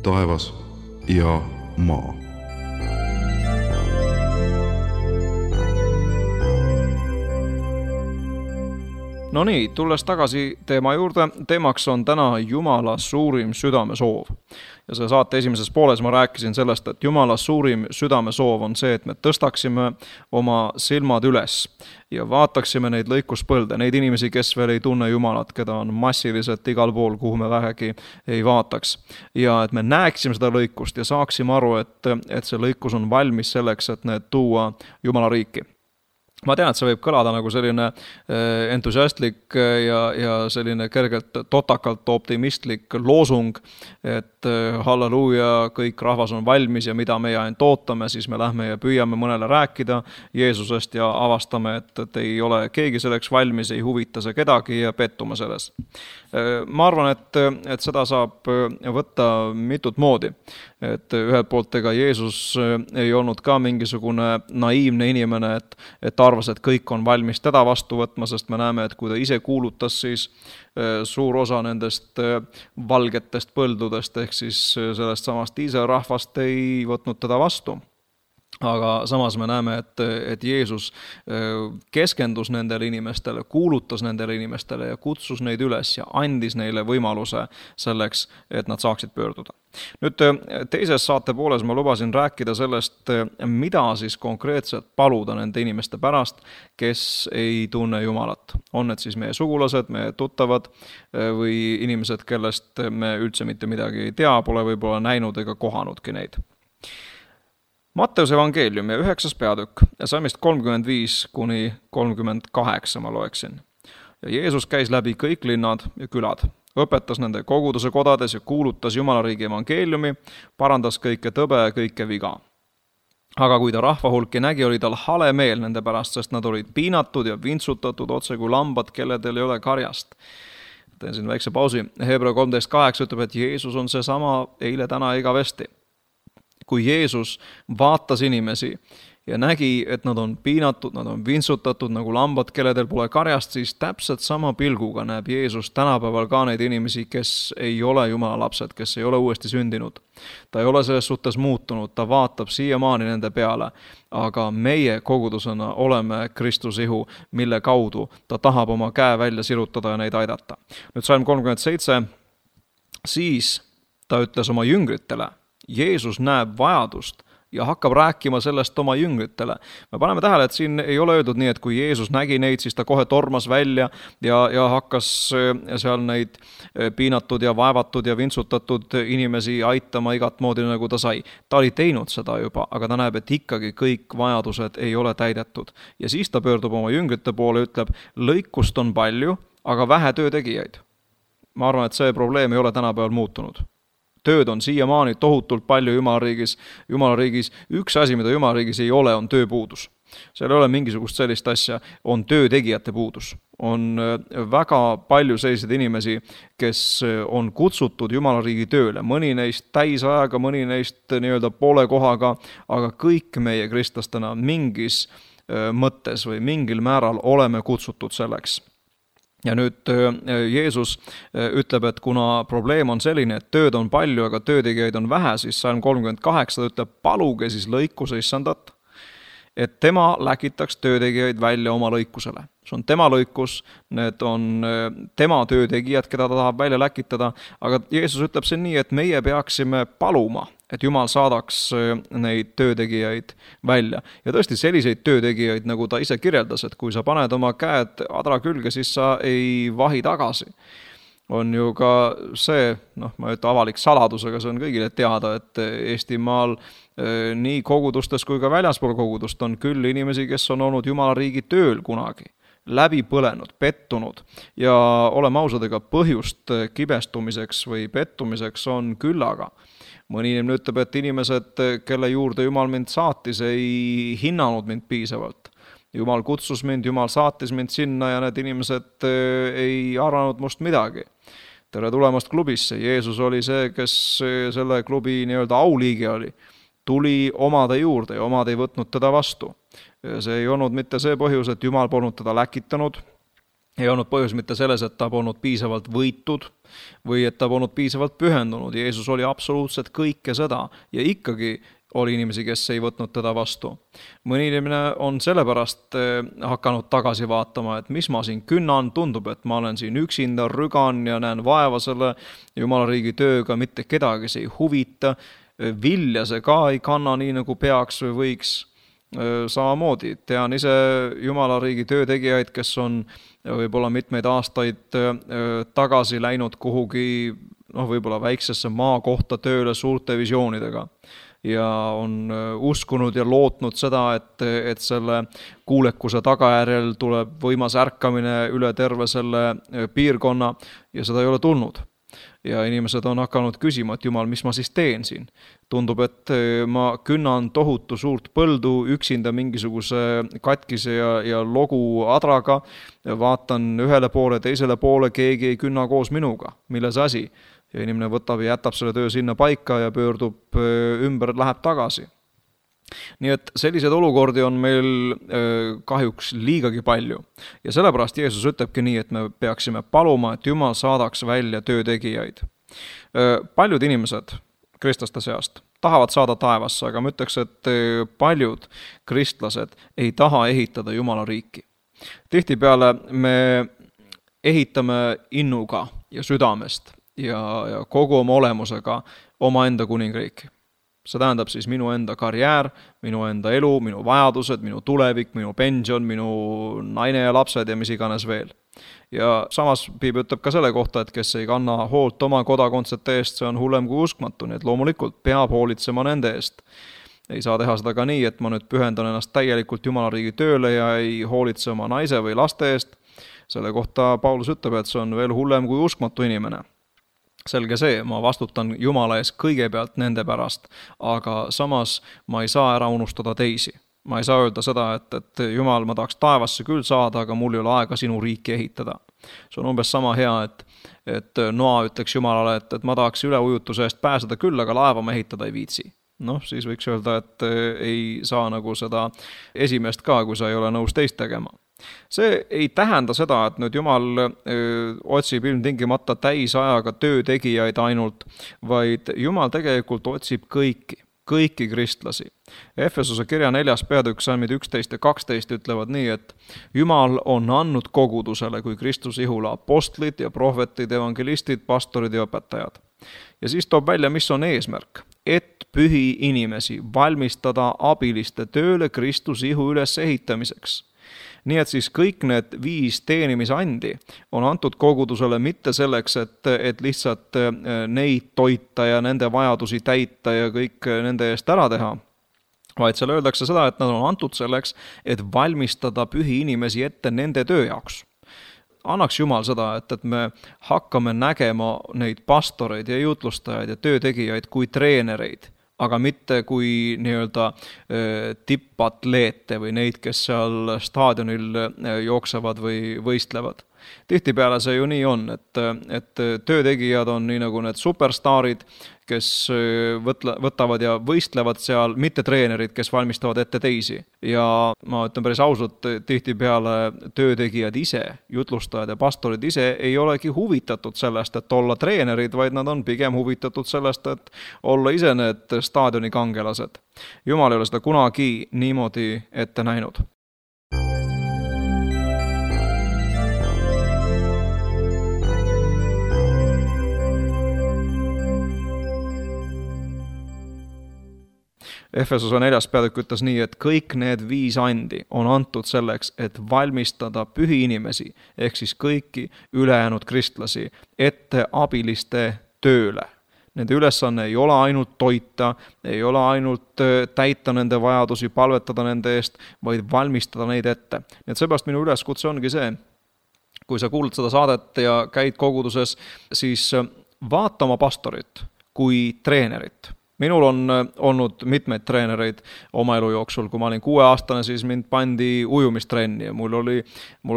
[SPEAKER 1] taevas ja maa.
[SPEAKER 2] No nii, tulles tagasi teema juurde, teemaks on täna Jumala suurim südamesoov. Ja see saate esimeses pooles ma rääkisin sellest, et Jumala suurim südamesoov on see, et me tõstaksime oma silmad üles ja vaataksime neid lõikuspõlde, neid inimesi, kes veel ei tunne Jumalat, keda on massiliselt igal pool, kuhu me vähegi ei vaataks. Ja et me näeksime seda lõikust ja saaksime aru, et see lõikus on valmis selleks, et need tuua Jumala riiki. Ma tean, et see võib kõlada nagu selline entusiastlik ja selline kergelt totakalt optimistlik loosung, et halleluuja, kõik rahvas on valmis ja mida meie ainult ootame, siis me lähme ja püüame mõnele rääkida Jeesusest ja avastame, et ei ole keegi selleks valmis, ei huvita see kedagi ja pettume selles. Ma arvan, et seda saab võtta mitut moodi. et ühelt poolt ega Jeesus ei olnud ka mingisugune naiivne inimene, et arvas, et kõik on valmis teda vastu võtma, sest me näeme, et kui ta ise kuulutas, siis suur osa nendest valgetest põldudest ehk siis sellest samast Iisraeli rahvast ei võtnud teda vastu. Aga samas me näeme, et Jeesus keskendus nendele inimestele, kuulutas nendele inimestele ja kutsus neid üles ja andis neile võimaluse selleks, et nad saaksid pöörduda. Nüüd teises saate pooles ma lubasin rääkida sellest, mida siis konkreetselt paluda nende inimeste pärast, kes ei tunne Jumalat. On need siis meie sugulased, meie tuttavad või inimesed, kellest me üldse mitte midagi ei tea, pole võib-olla näinud ega kohanudki neid. Matteuse evangeeliumi 9. peatükk ja salmist 35 kuni 38 ma loeksin. Ja Jeesus käis läbi kõik linnad ja külad, õpetas nende koguduse kodades ja kuulutas Jumalariigi evangeeliumi, parandas kõike tõbe ja kõike viga. Aga kui ta rahvahulki nägi, oli tal hale meel nende pärast, sest nad olid piinatud ja vintsutatud otse kui lambad, kelledel ei ole karjast. Teen siin väikse pausi. Hebra 13.8 ütleb, et Jeesus on seesama eile, täna igavesti. Kui Jeesus vaatas inimesi ja nägi, et nad on piinatud, nad on vintsutatud nagu lambad, kelledel pole karjast, siis täpselt sama pilguga näeb Jeesus tänapäeval ka neid inimesi, kes ei ole Jumala lapsed, kes ei ole uuesti sündinud. Ta ei ole selles suhtes muutunud, ta vaatab siiamaani nende peale, aga meie kogudusena oleme Kristuse ihu, mille kaudu ta tahab oma käe välja sirutada ja neid aidata. Nüüd salm 37, siis ta ütles oma jüngritele, Jeesus näeb vajadust ja hakkab rääkima sellest oma jüngritele. Me paneme tähele, et siin ei ole öeldud nii, et kui Jeesus nägi neid, siis ta kohe tormas välja ja hakkas seal neid piinatud ja vaevatud ja vintsutatud inimesi aitama igat moodi, nagu ta sai. Ta oli teinud seda juba, aga ta näeb, et ikkagi kõik vajadused ei ole täidetud. Ja siis ta pöördub oma jüngrite poole ja ütleb, lõikust on palju, aga vähe töötegijaid. Ma arvan, et see probleem ei ole tänapäeval muutunud. Tööd on siiamaani tohutult palju Jumalariigis. Üks asi, mida Jumalariigis ei ole, on tööpuudus. Seal ei ole mingisugust sellist asja, on töötegijate puudus. On väga palju selliseid inimesi, kes on kutsutud Jumalariigi tööle. Mõni neist täisajaga, mõni neist nii-öelda poole kohaga, aga kõik meie kristlastena mingis mõttes või mingil määral oleme kutsutud selleks. Ja nüüd Jeesus ütleb, et kuna probleem on selline, et tööd on palju, aga töötegijaid on vähe, siis salm 38 ütleb, paluge siis lõikuse issandat, et tema läkitaks töötegijaid välja oma lõikusele. See on tema lõikus, need on tema töötegijad, keda ta tahab välja läkitada, aga Jeesus ütleb see nii, et meie peaksime paluma, et Jumal saadaks neid töötegijaid välja. Ja tõesti selliseid töötegijaid, nagu ta ise kirjeldas, et kui sa paned oma käed adra külge, siis sa ei vahi tagasi. On ju ka see, ma ütlen avalik saladus, aga see on kõigile teada, et Eestimaal nii kogudustes kui ka väljaspool kogudust on küll inimesi, kes on olnud Jumalariigi tööl kunagi, läbi põlenud, pettunud ja oleme ausad, ega põhjust kibestumiseks või pettumiseks on küllaga. Mõni inimene ütleb, et inimesed, kelle juurde Jumal mind saatis, ei hinnanud mind piisavalt. Jumal kutsus mind, Jumal saatis mind sinna ja need inimesed ei arvanud must midagi. Tere tulemast klubisse. Jeesus oli see, kes selle klubi nii-öelda auliige oli. Tuli omade juurde ja omad ei võtnud teda vastu. See ei olnud mitte see põhjus, et Jumal polnud teda läkitanud. Ei olnud põhjus mitte selles, et ta polnud piisavalt võitud või et ta polnud piisavalt pühendunud. Jeesus oli absoluutselt kõike seda ja ikkagi oli inimesi, kes ei võtnud teda vastu. Mõni inimene on sellepärast hakanud tagasi vaatama, et mis ma siin künnan, tundub, et ma olen siin üksinda, rügan ja näen vaeva selle Jumalariigi tööga, mitte kedagi see ei huvita, vilja see ka ei kanna nii, nagu peaks või võiks. Samamoodi tean ise Jumalariigi töötegijaid, kes on võib-olla mitmeid aastaid tagasi läinud kuhugi võib-olla väiksesse maakohta tööle suurte visioonidega ja on uskunud ja lootnud seda, et selle kuulekuse tagajärjel tuleb võimas ärkamine üle terve selle piirkonna ja seda ei ole tulnud. Ja inimesed on hakanud küsima, et Jumal, mis ma siis teen siin? Tundub, et ma künnan tohutu suurt põldu üksinda mingisuguse katkise ja logu adraga, vaatan ühele poole, teisele poole, keegi ei künna koos minuga. Milles asi? ja inimene võtab ja jätab selle töö sinna paika ja pöördub ümber, läheb tagasi. Nii et sellised olukordi on meil kahjuks liigagi palju ja sellepärast Jeesus ütlebki nii, et me peaksime paluma, et Jumal saadaks välja töötegijaid. Paljud inimesed kristlaste seast tahavad saada taevasse, aga ma ütleks, et paljud kristlased ei taha ehitada Jumala riiki. Tihtipeale me ehitame innuga ja südamest ja kogu oma olemusega oma enda kuningriiki. See tähendab siis minu enda karjäär, minu enda elu, minu vajadused, minu tulevik, minu pension, minu naine ja lapsed ja mis iganes veel. Ja samas Piibel ütleb ka selle kohta, et kes ei kanna hoolt oma kodakondsete eest, see on hullem kui uskmatu, nii et loomulikult peab hoolitsema nende eest. Ei saa teha seda ka nii, et ma nüüd pühendan ennast täielikult Jumala riigi tööle ja ei hoolitse oma naise või laste eest. Selle kohta Paulus ütleb, et see on veel hullem kui uskmatu inimene. Selge see, ma vastutan Jumala ees kõigepealt nende pärast, aga samas ma ei saa ära unustada teisi. Ma ei saa öelda seda, et Jumal, ma tahaks taevasse küll saada, aga mul ei ole aega sinu riiki ehitada. See on umbes sama hea, et Noa ütleks Jumalale, et ma tahaks üleujutuse eest pääseda küll, aga laeva ma ehitada ei viitsi. Siis võiks öelda, et ei saa nagu seda esimest ka, kui sa ei ole nõus teist tegema. See ei tähenda seda, et nüüd Jumal otsib ilmtingimata täisajaga töötegijaid ainult, vaid Jumal tegelikult otsib kõiki kristlasi. Efesuse kirja 4. peatükk salmid 11 ja 12 ütlevad nii, et Jumal on andnud kogudusele kui Kristuse ihule apostlid ja prohvetid, evangelistid, pastorid ja õpetajad. Ja siis toob välja, mis on eesmärk, et pühi inimesi valmistada abiliste tööle Kristuse ihu üles ehitamiseks. Nii et siis kõik need 5 teenimisandi on antud kogudusele mitte selleks, et lihtsalt neid toita ja nende vajadusi täita ja kõik nende eest ära teha, vaid seal öeldakse seda, et nad on antud selleks, et valmistada pühi inimesi ette nende töö jaoks. Annaks Jumal seda, et me hakkame nägema neid pastoreid ja jutlustajaid ja töötegijaid kui treenereid, aga mitte kui nii-öelda tippatleete või neid, kes seal staadionil jooksevad või võistlevad. Tihtipeale see ju nii on, et töötegijad on nii nagu need superstaarid, kes võtavad ja võistlevad seal, mitte treenerid, kes valmistavad ette teisi. Ja ma ütlen päris ausalt, tihtipeale töötegijad ise, jutlustajad ja pastorid ise ei olegi huvitatud sellest, et olla treenerid, vaid nad on pigem huvitatud sellest, et olla ise need staadioni kangelased. Jumal ei ole seda kunagi niimoodi ette näinud. Efesuse 4. peatükk ütles nii, et kõik need 5 andi on antud selleks, et valmistada pühi inimesi, ehk siis kõiki ülejäänud kristlasi, ette abiliste tööle. Nende ülesanne ei ole ainult toita, ei ole ainult täita nende vajadusi, palvetada nende eest, vaid valmistada neid ette. Nii et seepärast minu üleskutse ongi see, kui sa kuulad seda saadet ja käid koguduses, siis vaata oma pastorit kui treenerit. Minul on olnud mitmeid treenereid oma elu jooksul, kui ma olin 6-aastane, siis mind pandi ujumistrenni ja mul oli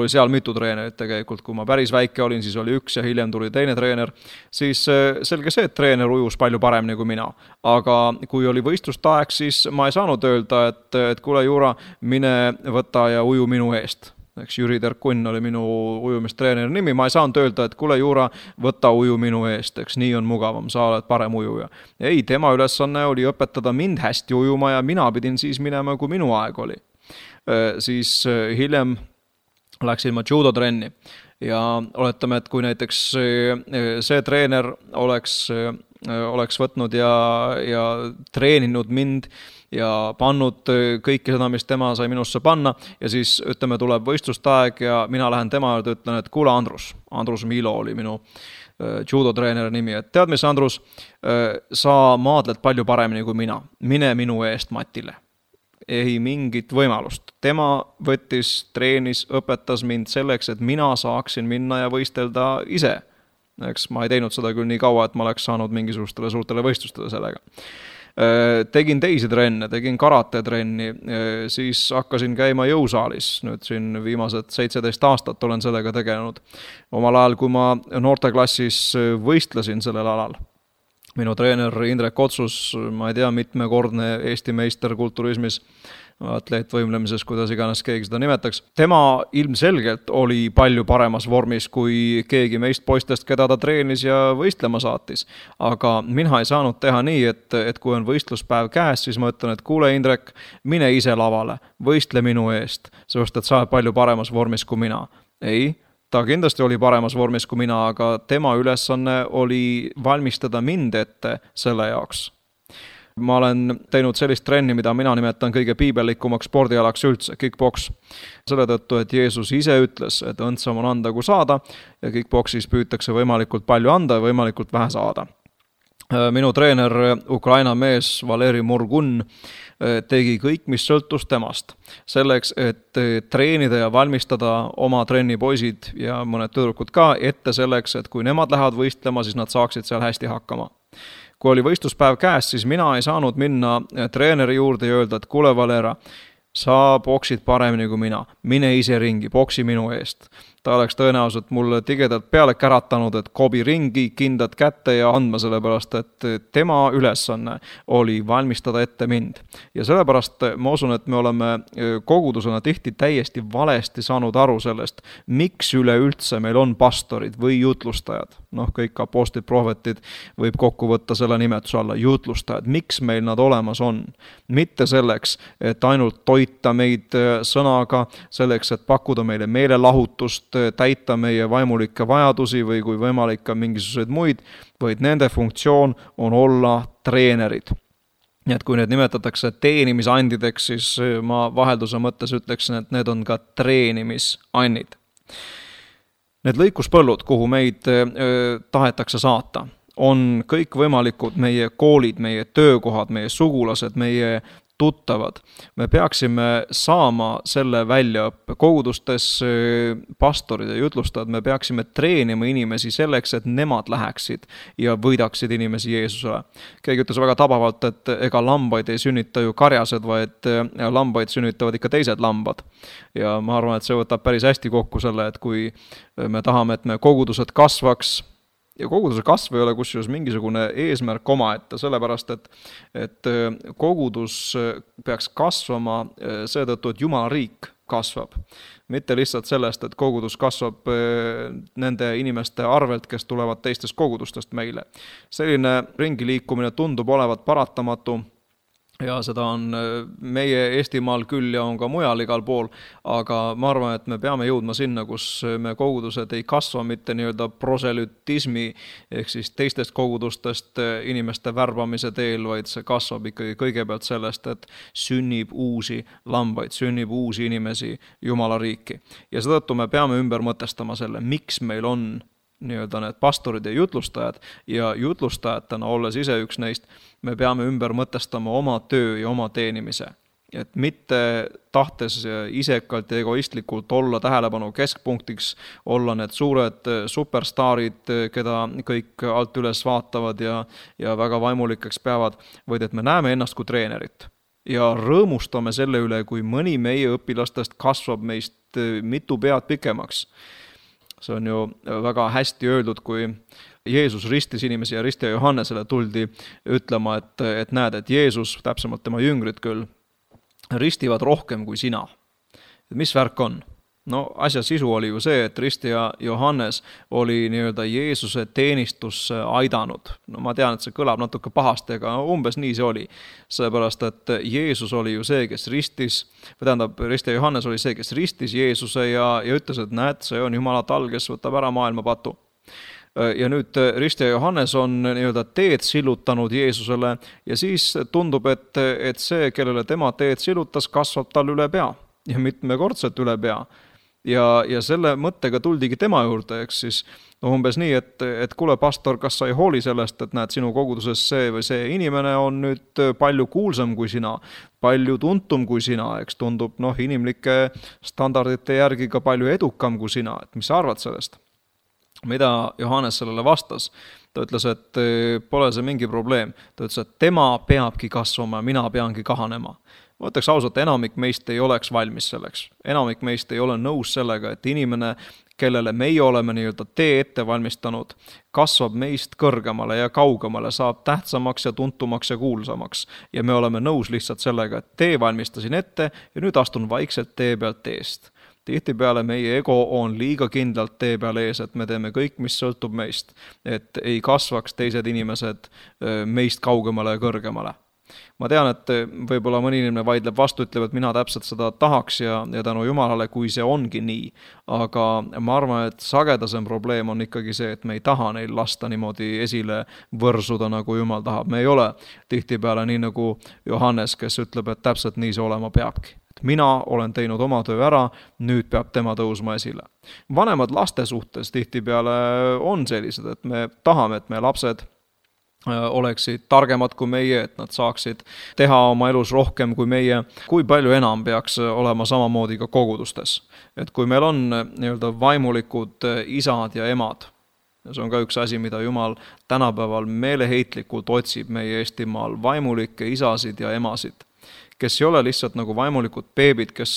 [SPEAKER 2] seal mitu treenerit tegelikult, kui ma päris väike olin, siis oli 1 ja hiljem tuli teine treener, siis selge see, et treener ujus palju paremini kui mina, aga kui oli võistlustaeg, siis ma ei saanud öelda, et kuule Juura, mine võta ja uju minu eest. Eks Jüri Terkunn oli minu ujumistreeneri nimi, ma ei saanud öelda, et kuule Juura, võta uju minu eest, eks nii on mugavam, sa oled parem ujuja. Ei, tema ülesanne oli õpetada mind hästi ujuma ja mina pidin siis minema, kui minu aeg oli. Siis hiljem läksin ma judotrenni ja oletame, et kui näiteks see treener oleks võtnud ja treeninud mind ja pannud kõike seda, mis tema sai minusse panna ja siis ütleme, tuleb võistlustaeg ja mina lähen tema juurde, ütlen, et kuule Andrus Milo oli minu judotreeneri nimi, et tead mis Andrus, sa maadled palju paremini kui mina, mine minu eest matile. Ei mingit võimalust. Tema võttis, treenis, õpetas mind selleks, et mina saaksin minna ja võistelda ise. Eks ma ei teinud seda küll nii kaua, et ma oleks saanud mingisugustele suurtele võistlustele sellega. Tegin teisi trenne, tegin karatetrenni, siis hakkasin käima jõusaalis, nüüd siin viimased 17 aastat olen sellega tegelenud. Omal ajal, kui ma noorteklassis võistlesin sellel alal. Minu treener Indrek Otsus, ma ei tea, mitmekordne Eesti meister kulturismis, atleetvõimlemises, kuidas iganes keegi seda nimetaks. Tema ilmselgelt oli palju paremas vormis kui keegi meist poistest, keda ta treenis ja võistlema saatis. Aga mina ei saanud teha nii, et kui on võistluspäev käes, siis ma ütlen, et kuule Indrek, mine ise lavale, võistle minu eest, sest et sa oled palju paremas vormis kui mina. Ei, ta kindlasti oli paremas vormis kui mina, aga tema ülesanne oli valmistada mind ette selle jaoks. Ma olen teinud sellist trenni, mida mina nimetan kõige piibellikumaks spordialaks üldse, kickboks. Selle tõttu, et Jeesus ise ütles, et õndsam on anda kui saada ja kickboksis püütakse võimalikult palju anda ja võimalikult vähe saada. Minu treener, Ukraina mees Valeri Murgun, tegi kõik, mis sõltus temast. Selleks, et treenida ja valmistada oma trennipoisid ja mõned tüdrukud ka ette selleks, et kui nemad lähevad võistlema, siis nad saaksid seal hästi hakkama. Kui oli võistluspäev käes, siis mina ei saanud minna treeneri juurde ja öelda, et kuule Valera, sa boksid paremini kui mina, mine ise ringi, boksi minu eest. Ta oleks tõenäoliselt mulle tigedalt peale käratanud, et kobi ringi, kindad kätte ja andma sellepärast, et tema ülesanne oli valmistada ette mind. Ja sellepärast ma usun, et me oleme kogudusena tihti täiesti valesti saanud aru sellest, miks üleüldse meil on pastorid või jutlustajad. Kõik apostlid, prohvetid võib kokku võtta selle nimetuse alla, jutlustajad. Miks meil nad olemas on? Mitte selleks, et ainult toita meid sõnaga, selleks, et pakkuda meile meelelahutust, täita meie vaimulikke vajadusi või kui võimalik ka mingisuguseid muid, vaid nende funktsioon on olla treenerid. Nii et kui need nimetatakse teenimisandideks, siis ma vahelduse mõttes ütleksin, et need on ka treenimisannid. Need lõikuspõllud, kuhu meid tahetakse saata, on kõik võimalikud meie koolid, meie töökohad, meie sugulased, meie tuttavad. Me peaksime saama selle väljaõppe kogudustes, pastorid ja jutlustajad, me peaksime treenima inimesi selleks, et nemad läheksid ja võidaksid inimesi Jeesusele. Keegi ütles väga tabavalt, et ega lambaid ei sünnita ju karjased, vaid lambaid sünnitavad ikka teised lambad. Ja ma arvan, et see võtab päris hästi kokku selle, et kui me tahame, et me kogudused kasvaks, ja koguduse kasv ei ole kusjuures mingisugune eesmärk omaette, sellepärast, et kogudus peaks kasvama seetõttu, et Jumala riik kasvab. Mitte lihtsalt sellest, et kogudus kasvab nende inimeste arvelt, kes tulevad teistest kogudustest meile. Selline ringiliikumine tundub olevat paratamatu. Ja seda on meie Eestimaal küll ja on ka mujal igal pool, aga ma arvan, et me peame jõudma sinna, kus me kogudused ei kasva mitte nii-öelda proselütismi ehk siis teistest kogudustest inimeste värbamise teel, vaid see kasvab ikkagi kõigepealt sellest, et sünnib uusi lambaid, sünnib uusi inimesi Jumala riiki. Ja seetõttu me peame ümber mõtestama selle, miks meil on nii-öelda need pastorid ja jutlustajad ja jutlustajatena, olles ise üks neist, me peame ümber mõtestama oma töö ja oma teenimise. Et mitte tahtes isekalt ja egoistlikult olla tähelepanu keskpunktiks, olla need suured superstaarid, keda kõik alt üles vaatavad ja väga vaimulikeks peavad, vaid et me näeme ennast kui treenerit. Ja rõõmustame selle üle, kui mõni meie õpilastest kasvab meist mitu pead pikemaks. See on ju väga hästi öeldud, kui Jeesus ristis inimesi ja ristija Johannesele tuldi ütlema, et näed, et Jeesus, täpsemalt tema jüngrid küll, ristivad rohkem kui sina. Mis värk on? Asja sisu oli ju see, et ristija Johannes oli nii-öelda Jeesuse teenistusse aidanud. Ma tean, et see kõlab natuke pahasti, aga umbes nii see oli. Sellepärast, et Jeesus oli ju see, kes ristis, ristija Johannes oli see, kes ristis Jeesuse ja ütles, et näed, see on Jumala tal, kes võtab ära maailma patu. Ja nüüd ristija Johannes on nii-öelda teed sillutanud Jeesusele ja siis tundub, et see, kellele tema teed sillutas, kasvab tal üle pea ja mitmekordselt üle pea. Ja selle mõttega tuldigi tema juurde, eks siis umbes nii, et kuule pastor, kas sa ei hooli sellest, et näed sinu koguduses see või see inimene on nüüd palju kuulsam kui sina, palju tuntum kui sina, eks tundub inimlike standardite järgi ka palju edukam kui sina, et mis sa arvad sellest? Mida Johannes sellele vastas? Ta ütles, et pole see mingi probleem. Ta ütles, et tema peabki kasvama, mina peangi kahanema. Ma ütleks ausalt, enamik meist ei oleks valmis selleks. Enamik meist ei ole nõus sellega, et inimene, kellele meie oleme nii-öelda tee ette valmistanud, kasvab meist kõrgemale ja kaugemale, saab tähtsamaks ja tuntumaks ja kuulsamaks. Ja me oleme nõus lihtsalt sellega, et tee valmistasin ette ja nüüd astun vaikselt tee pealt eest. Tihtipeale meie ego on liiga kindlalt tee peal ees, et me teeme kõik, mis sõltub meist, et ei kasvaks teised inimesed meist kaugemale ja kõrgemale. Ma tean, et võib-olla mõni inimene vaidleb vastu, ütleb, et mina täpselt seda tahaks ja tänu Jumalale, kui see ongi nii. Aga ma arvan, et sagedasem probleem on ikkagi see, et me ei taha neil lasta niimoodi esile võrsuda, nagu Jumal tahab. Me ei ole tihtipeale nii nagu Johannes, kes ütleb, et täpselt nii see olema peabki. Mina olen teinud oma töö ära, nüüd peab tema tõusma esile. Vanemad laste suhtes tihtipeale on sellised, et me tahame, et meie lapsed oleksid targemad kui meie, et nad saaksid teha oma elus rohkem kui meie. Kui palju enam peaks olema samamoodi ka kogudustes? Et kui meil on nii-öelda vaimulikud isad ja emad, see on ka üks asi, mida Jumal tänapäeval meeleheitlikult otsib meie Eestimaal, vaimulikke isasid ja emasid, kes ei ole lihtsalt nagu vaimulikud beebid, kes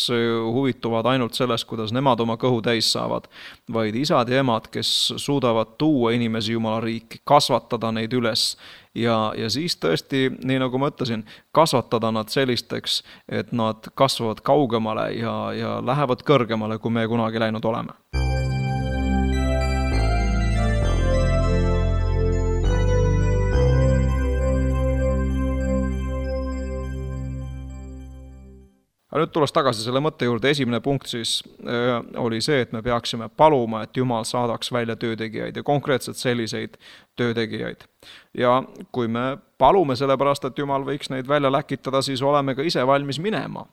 [SPEAKER 2] huvituvad ainult sellest, kuidas nemad oma kõhu täis saavad, vaid isad ja emad, kes suudavad tuua inimesi Jumala riiki, kasvatada neid üles ja siis tõesti, nii nagu ma ütlesin, kasvatada nad sellisteks, et nad kasvavad kaugemale ja lähevad kõrgemale, kui me kunagi läinud oleme. Aga nüüd tulles tagasi selle mõtte juurde, esimene punkt siis oli see, et me peaksime paluma, et Jumal saadaks välja töötegijaid ja konkreetselt selliseid töötegijaid. Ja kui me palume sellepärast, et Jumal võiks neid välja läkitada, siis oleme ka ise valmis minema.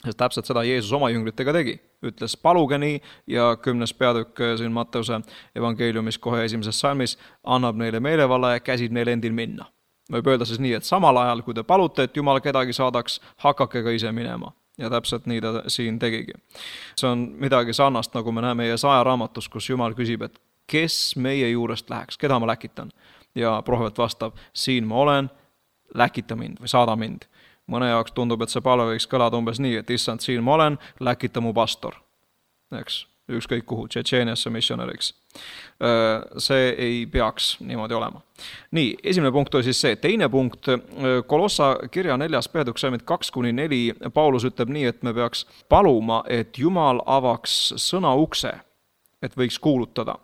[SPEAKER 2] Sest täpselt seda Jeesus oma jüngritega tegi. Ütles paluge nii ja 10. peatükk siin Matteuse evangeeliumis kohe 1. salmis annab neile meelevalla ja käsib neile endil minna. Võib öelda siis nii, et samal ajal, kui te palute, et Jumal kedagi saadaks, hakake ka ise minema. Ja täpselt nii ta siin tegigi. See on midagi sarnast, nagu me näeme Jesaja raamatus, kus Jumal küsib, et kes meie juurest läheks, keda ma läkitan? Ja prohvet vastab, siin ma olen, läkita mind või saada mind. Mõne jaoks tundub, et see palve võiks kõlada umbes nii, et issand, siin ma olen, läkita mu pastor. Eks, ükskõik kuhu, Tšetšeeniasse missionäriks. See ei peaks niimoodi olema. Nii, esimene punkt oli siis see. Teine punkt, Kolossa kirja 4. peatükk 2-4, Paulus ütleb nii, et me peaks paluma, et Jumal avaks sõna ukse, et võiks kuulutada.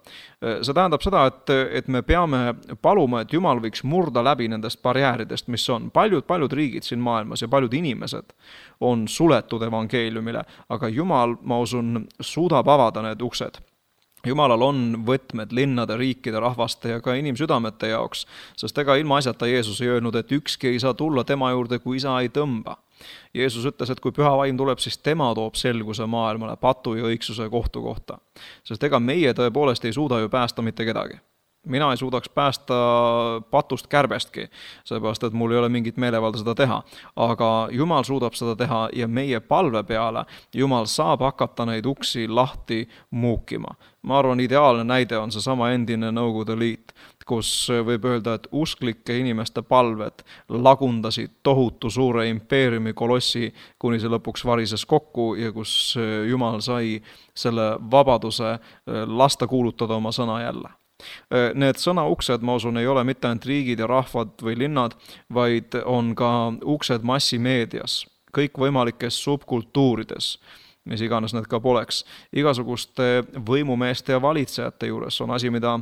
[SPEAKER 2] See tähendab seda, et me peame paluma, et Jumal võiks murda läbi nendest barjääridest, mis on. Paljud riigid siin maailmas ja paljud inimesed on suletud evangeeliumile, aga Jumal, ma usun, suudab avada need uksed. Jumalal on võtmed linnade, riikide, rahvaste ja ka inimsüdamete jaoks, sest ega ilma asjata Jeesus ei öelnud, et ükski ei saa tulla tema juurde, kui isa ei tõmba. Jeesus ütles, et kui püha vaim tuleb, siis tema toob selguse maailmale patu ja õigsuse kohtu kohta. Sest ega meie tõepoolest ei suuda ju päästa mitte kedagi. Mina ei suudaks päästa patust kärbestki, seepärast, et mul ei ole mingit meelevalda seda teha. Aga Jumal suudab seda teha ja meie palve peale Jumal saab hakata neid uksi lahti muukima. Ma arvan, ideaalne näide on see sama endine Nõukogude Liit, kus võib öelda, et usklike inimeste palved lagundasid tohutu suure impeeriumi kolossi, kuni see lõpuks varises kokku ja kus Jumal sai selle vabaduse lasta kuulutada oma sõna jälle. Need sõnauksed, ma usun, ei ole mitte ainult riigid ja rahvad või linnad, vaid on ka uksed massimeedias, kõikvõimalikes subkultuurides, mis iganes need ka poleks. Igasuguste võimumeeste ja valitsejate juures on asi, mida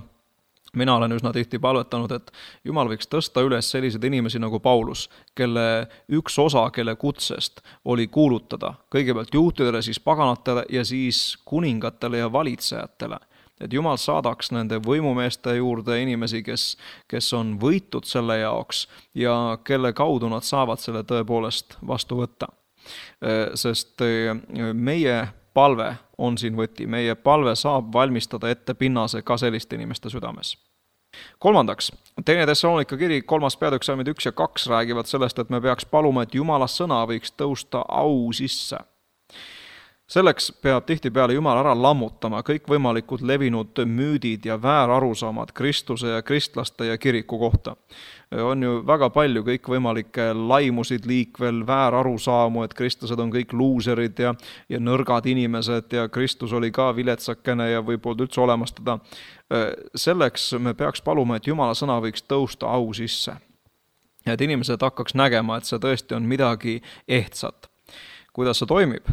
[SPEAKER 2] mina olen üsna tihti palvetanud, et Jumal võiks tõsta üles sellised inimesi nagu Paulus, kelle üks osa, kelle kutsest oli kuulutada kõigepealt juutidele, siis paganatele ja siis kuningatele ja valitsejatele. Et Jumal saadaks nende võimumeeste juurde inimesi, kes on võitud selle jaoks ja kelle kaudu nad saavad selle tõepoolest vastu võtta. Sest meie palve on siin võti, meie palve saab valmistada ette pinnase ka selliste inimeste südames. Kolmandaks, 2. Thessalonika kiri 3. peatükk 1 ja 2 räägivad sellest, et me peaks paluma, et Jumala sõna võiks tõusta au sisse. Selleks peab tihtipeale Jumal ära lammutama kõikvõimalikud levinud müüdid ja väärarusaamad Kristuse ja kristlaste ja kiriku kohta. On ju väga palju kõikvõimalikke laimusid liikvel, väärarusaamu, et kristlased on kõik luuserid ja nõrgad inimesed ja Kristus oli ka viletsakene ja võib polnud üldse olemas teda. Selleks me peaks paluma, et Jumala sõna võiks tõusta au sisse. Et inimesed hakkaks nägema, et see tõesti on midagi ehtsat. Kuidas see toimib?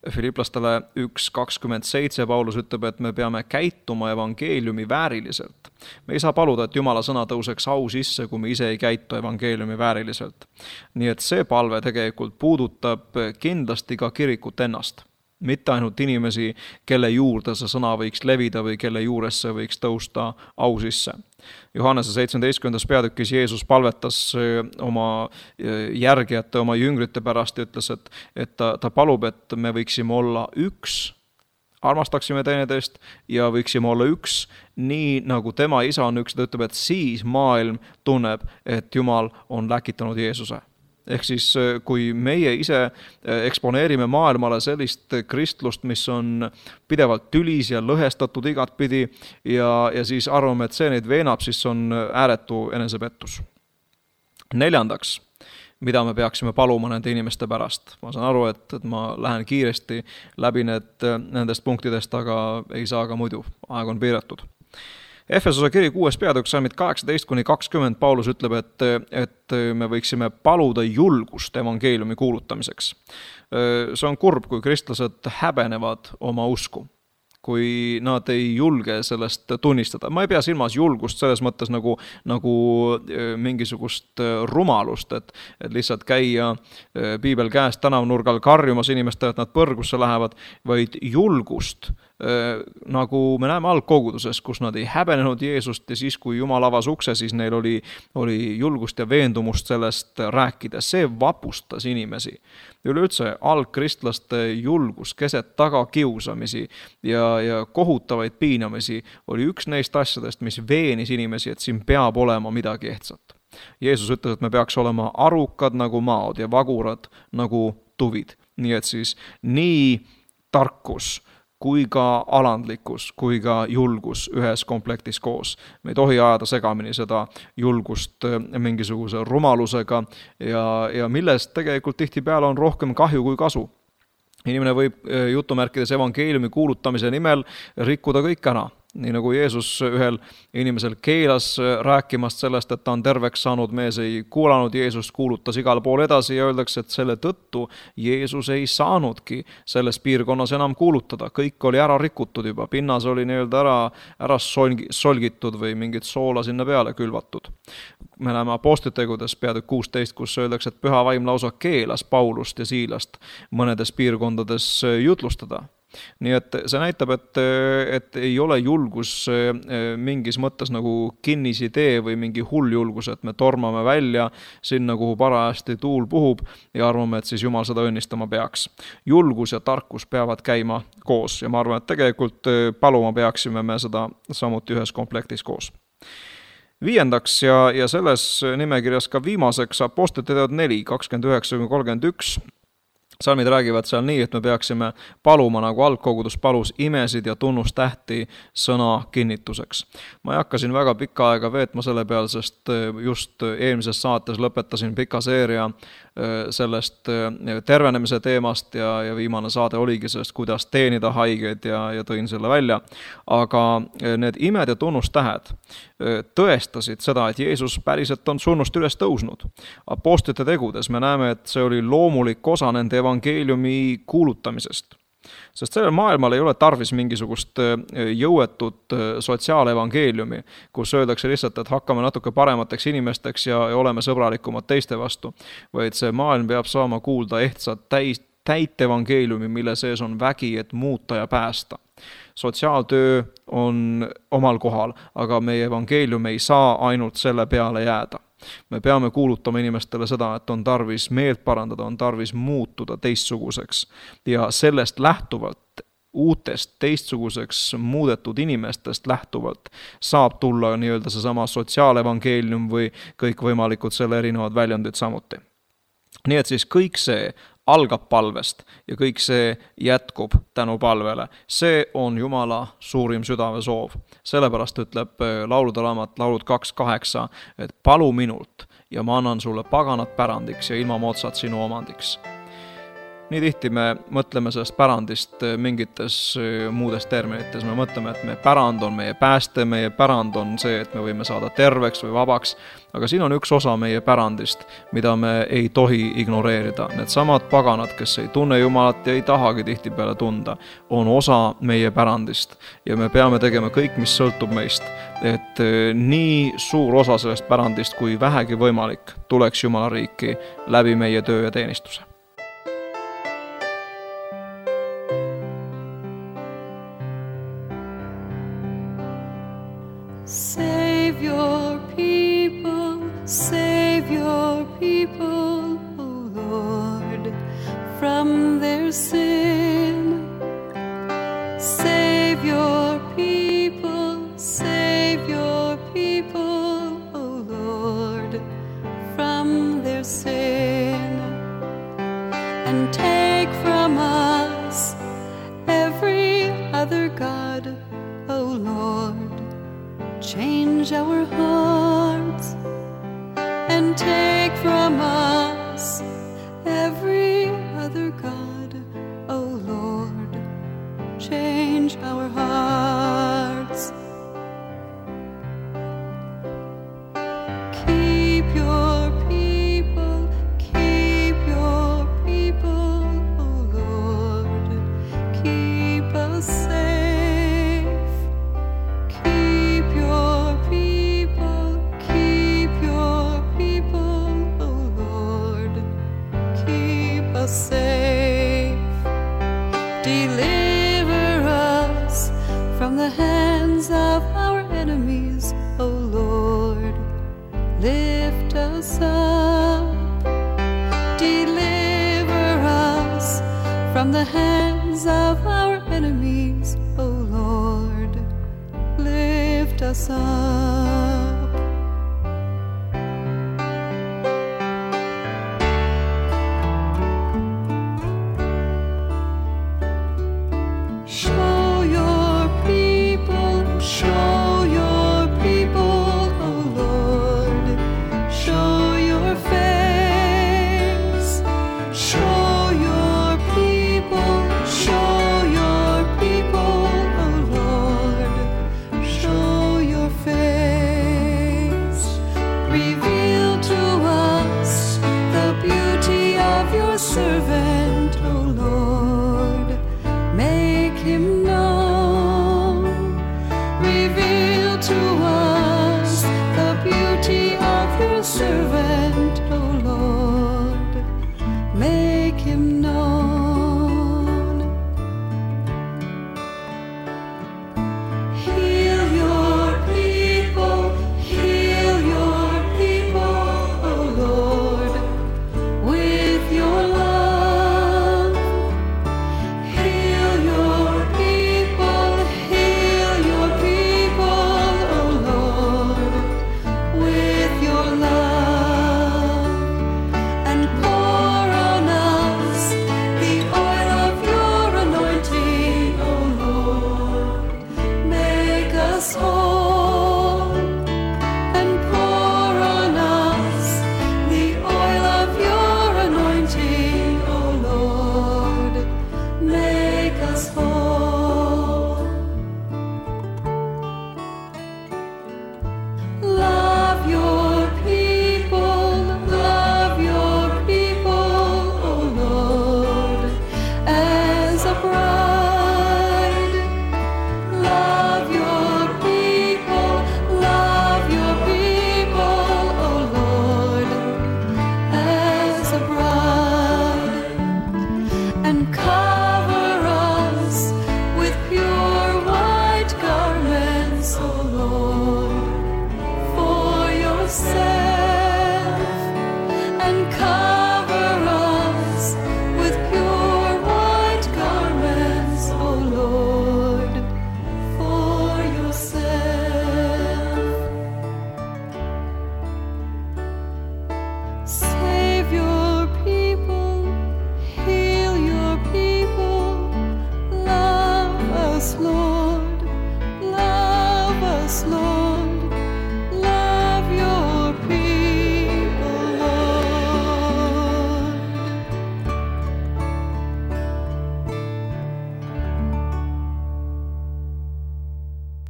[SPEAKER 2] Filiplastele 1:27 Paulus ütleb, et me peame käituma evangeeliumi vääriliselt. Me ei saa paluda, et Jumala sõna tõuseks au sisse, kui me ise ei käitu evangeeliumi vääriliselt. Nii et see palve tegelikult puudutab kindlasti ka kirikut ennast. Mitte ainult inimesi, kelle juurde see sõna võiks levida või kelle juures see võiks tõusta au sisse. Johannese 17. peatükis Jeesus palvetas oma järgijate, oma jüngrite pärast ja ütles, et ta palub, et me võiksime olla üks, armastaksime teineteist ja võiksime olla üks, nii nagu tema isa on üks, ta ütleb, et siis maailm tunneb, et Jumal on läkitanud Jeesuse. Ehk siis, kui meie ise eksponeerime maailmale sellist kristlust, mis on pidevalt tülis ja lõhestatud igatpidi ja siis arvame, et see neid veenab, siis on ääretu enesepettus. 4. mida me peaksime paluma nende inimeste pärast. Ma saan aru, et ma lähen kiiresti läbi nendest punktidest, aga ei saa ka muidu, aeg on piiratud. Efesose kiri 6. peatükk salmid 18-20 Paulus ütleb, et me võiksime paluda julgust evangeeliumi kuulutamiseks. See on kurb, kui kristlased häbenevad oma usku, kui nad ei julge sellest tunnistada. Ma ei pea silmas julgust selles mõttes nagu mingisugust rumalust, et lihtsalt käia piibel käest tänavnurgal karjumas inimestele, et nad põrgusse lähevad, vaid julgust, nagu me näeme algkoguduses, kus nad ei häbenenud Jeesust ja siis, kui Jumal avas ukse, siis neil oli julgust ja veendumust sellest rääkida. See vapustas inimesi. Üleüldse algkristlaste julgus keset tagakiusamisi ja kohutavaid piinamisi oli üks neist asjadest, mis veenis inimesi, et siin peab olema midagi ehtsat. Jeesus ütles, et me peaks olema arukad nagu maod ja vagurad nagu tuvid. Nii et siis nii tarkus kui ka alandlikkus, kui ka julgus ühes komplektis koos. Me ei tohi ajada segamini seda julgust mingisuguse rumalusega ja millest tegelikult tihtipeale on rohkem kahju kui kasu. Inimene võib jutumärkides evangeeliumi kuulutamise nimel rikkuda kõik ära. Nii nagu Jeesus ühel inimesel keelas rääkimast sellest, et ta on terveks saanud, mees ei kuulanud Jeesust, kuulutas igal pool edasi ja öeldakse, et selle tõttu Jeesus ei saanudki selles piirkonnas enam kuulutada. Kõik oli ära rikutud juba, pinnas oli ära solgitud või mingit soola sinna peale külvatud. Me näeme apostlitegudes peatükk 16, kus öeldakse, et püha vaim lausa keelas Paulust ja Siilast mõnedes piirkondades jutlustada. Nii et see näitab, et ei ole julgus mingis mõttes nagu kinnisidee või mingi hull julgus, et me tormame välja sinna, kuhu parajasti tuul puhub ja arvame, et siis Jumal seda õnnistama peaks. Julgus ja tarkus peavad käima koos ja ma arvan, et tegelikult paluma peaksime me seda samuti ühes komplektis koos. 5. ja selles nimekirjas ka viimaseks apostlite teod 4, 29-31 salmid räägivad seal nii, et me peaksime paluma, nagu algkogudus palus, imesid ja tunnustähti sõna kinnituseks. Ma ei hakka siin väga pikka aega veetma selle peal, sest just eelmises saates lõpetasin pika seeria sellest tervenemise teemast ja viimane saade oligi sellest, kuidas teenida haigeid ja tõin selle välja. Aga need imed ja tunnustähed tõestasid seda, et Jeesus päriselt on surnust üles tõusnud. Apostlite tegudes me näeme, et see oli loomulik osa nende evangeeliumi kuulutamisest. Sest sellel maailmal ei ole tarvis mingisugust jõuetut sotsiaalevangeeliumi, kus öeldakse lihtsalt, et hakkame natuke paremateks inimesteks ja oleme sõbralikumad teiste vastu, vaid see maailm peab saama kuulda ehtsat täit evangeeliumi, mille sees on vägi, et muuta ja päästa. Sotsiaaltöö on omal kohal, aga meie evangeelium ei saa ainult selle peale jääda. Me peame kuulutama inimestele seda, et on tarvis meelt parandada, on tarvis muutuda teistsuguseks ja sellest lähtuvalt, uutest teistsuguseks muudetud inimestest lähtuvalt saab tulla nii-öelda seesama sotsiaalevangeelium või kõikvõimalikud selle erinevad väljundid samuti. Nii et siis kõik see algab palvest ja kõik see jätkub tänu palvele. See on Jumala suurim südamesoov. Sellepärast ütleb laulude raamat laulud 2:8, et palu minult ja ma annan sulle paganat pärandiks ja ilma moodsat sinu omandiks. Nii tihti me mõtleme sellest pärandist mingites muudes terminites. Me mõtleme, et meie pärand on meie pääste, meie pärand on see, et me võime saada terveks või vabaks, aga siin on üks osa meie pärandist, mida me ei tohi ignoreerida. Need samad paganad, kes ei tunne Jumalat ja ei tahagi tihtipeale tunda, on osa meie pärandist ja me peame tegema kõik, mis sõltub meist, et nii suur osa sellest pärandist kui vähegi võimalik tuleks Jumala riiki läbi meie töö ja teenistuse.
[SPEAKER 3] Save your people, O Lord, from their sin. Save your people, O Lord, from their sin. And take from us every other God, O Lord. Change our hearts and take from us every other God, O Lord. Change our hearts. Keep your people, O Lord. Keep us safe. Safe, deliver us from the hands of our enemies, O Lord. Lift us up, deliver us from the hands of our enemies, O Lord. Lift us up. Show your people, O Lord. Show your face. Show your people, O Lord. Show your face.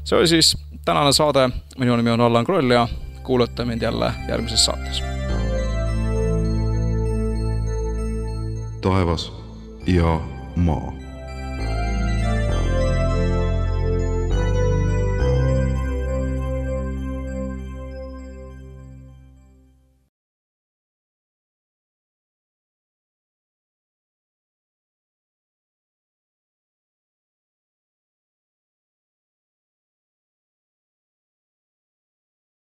[SPEAKER 2] See oli siis tänane saade, minu nimi on Allan Kroll ja kuulate mind jälle järgmises saates.
[SPEAKER 1] Taevas ja maa.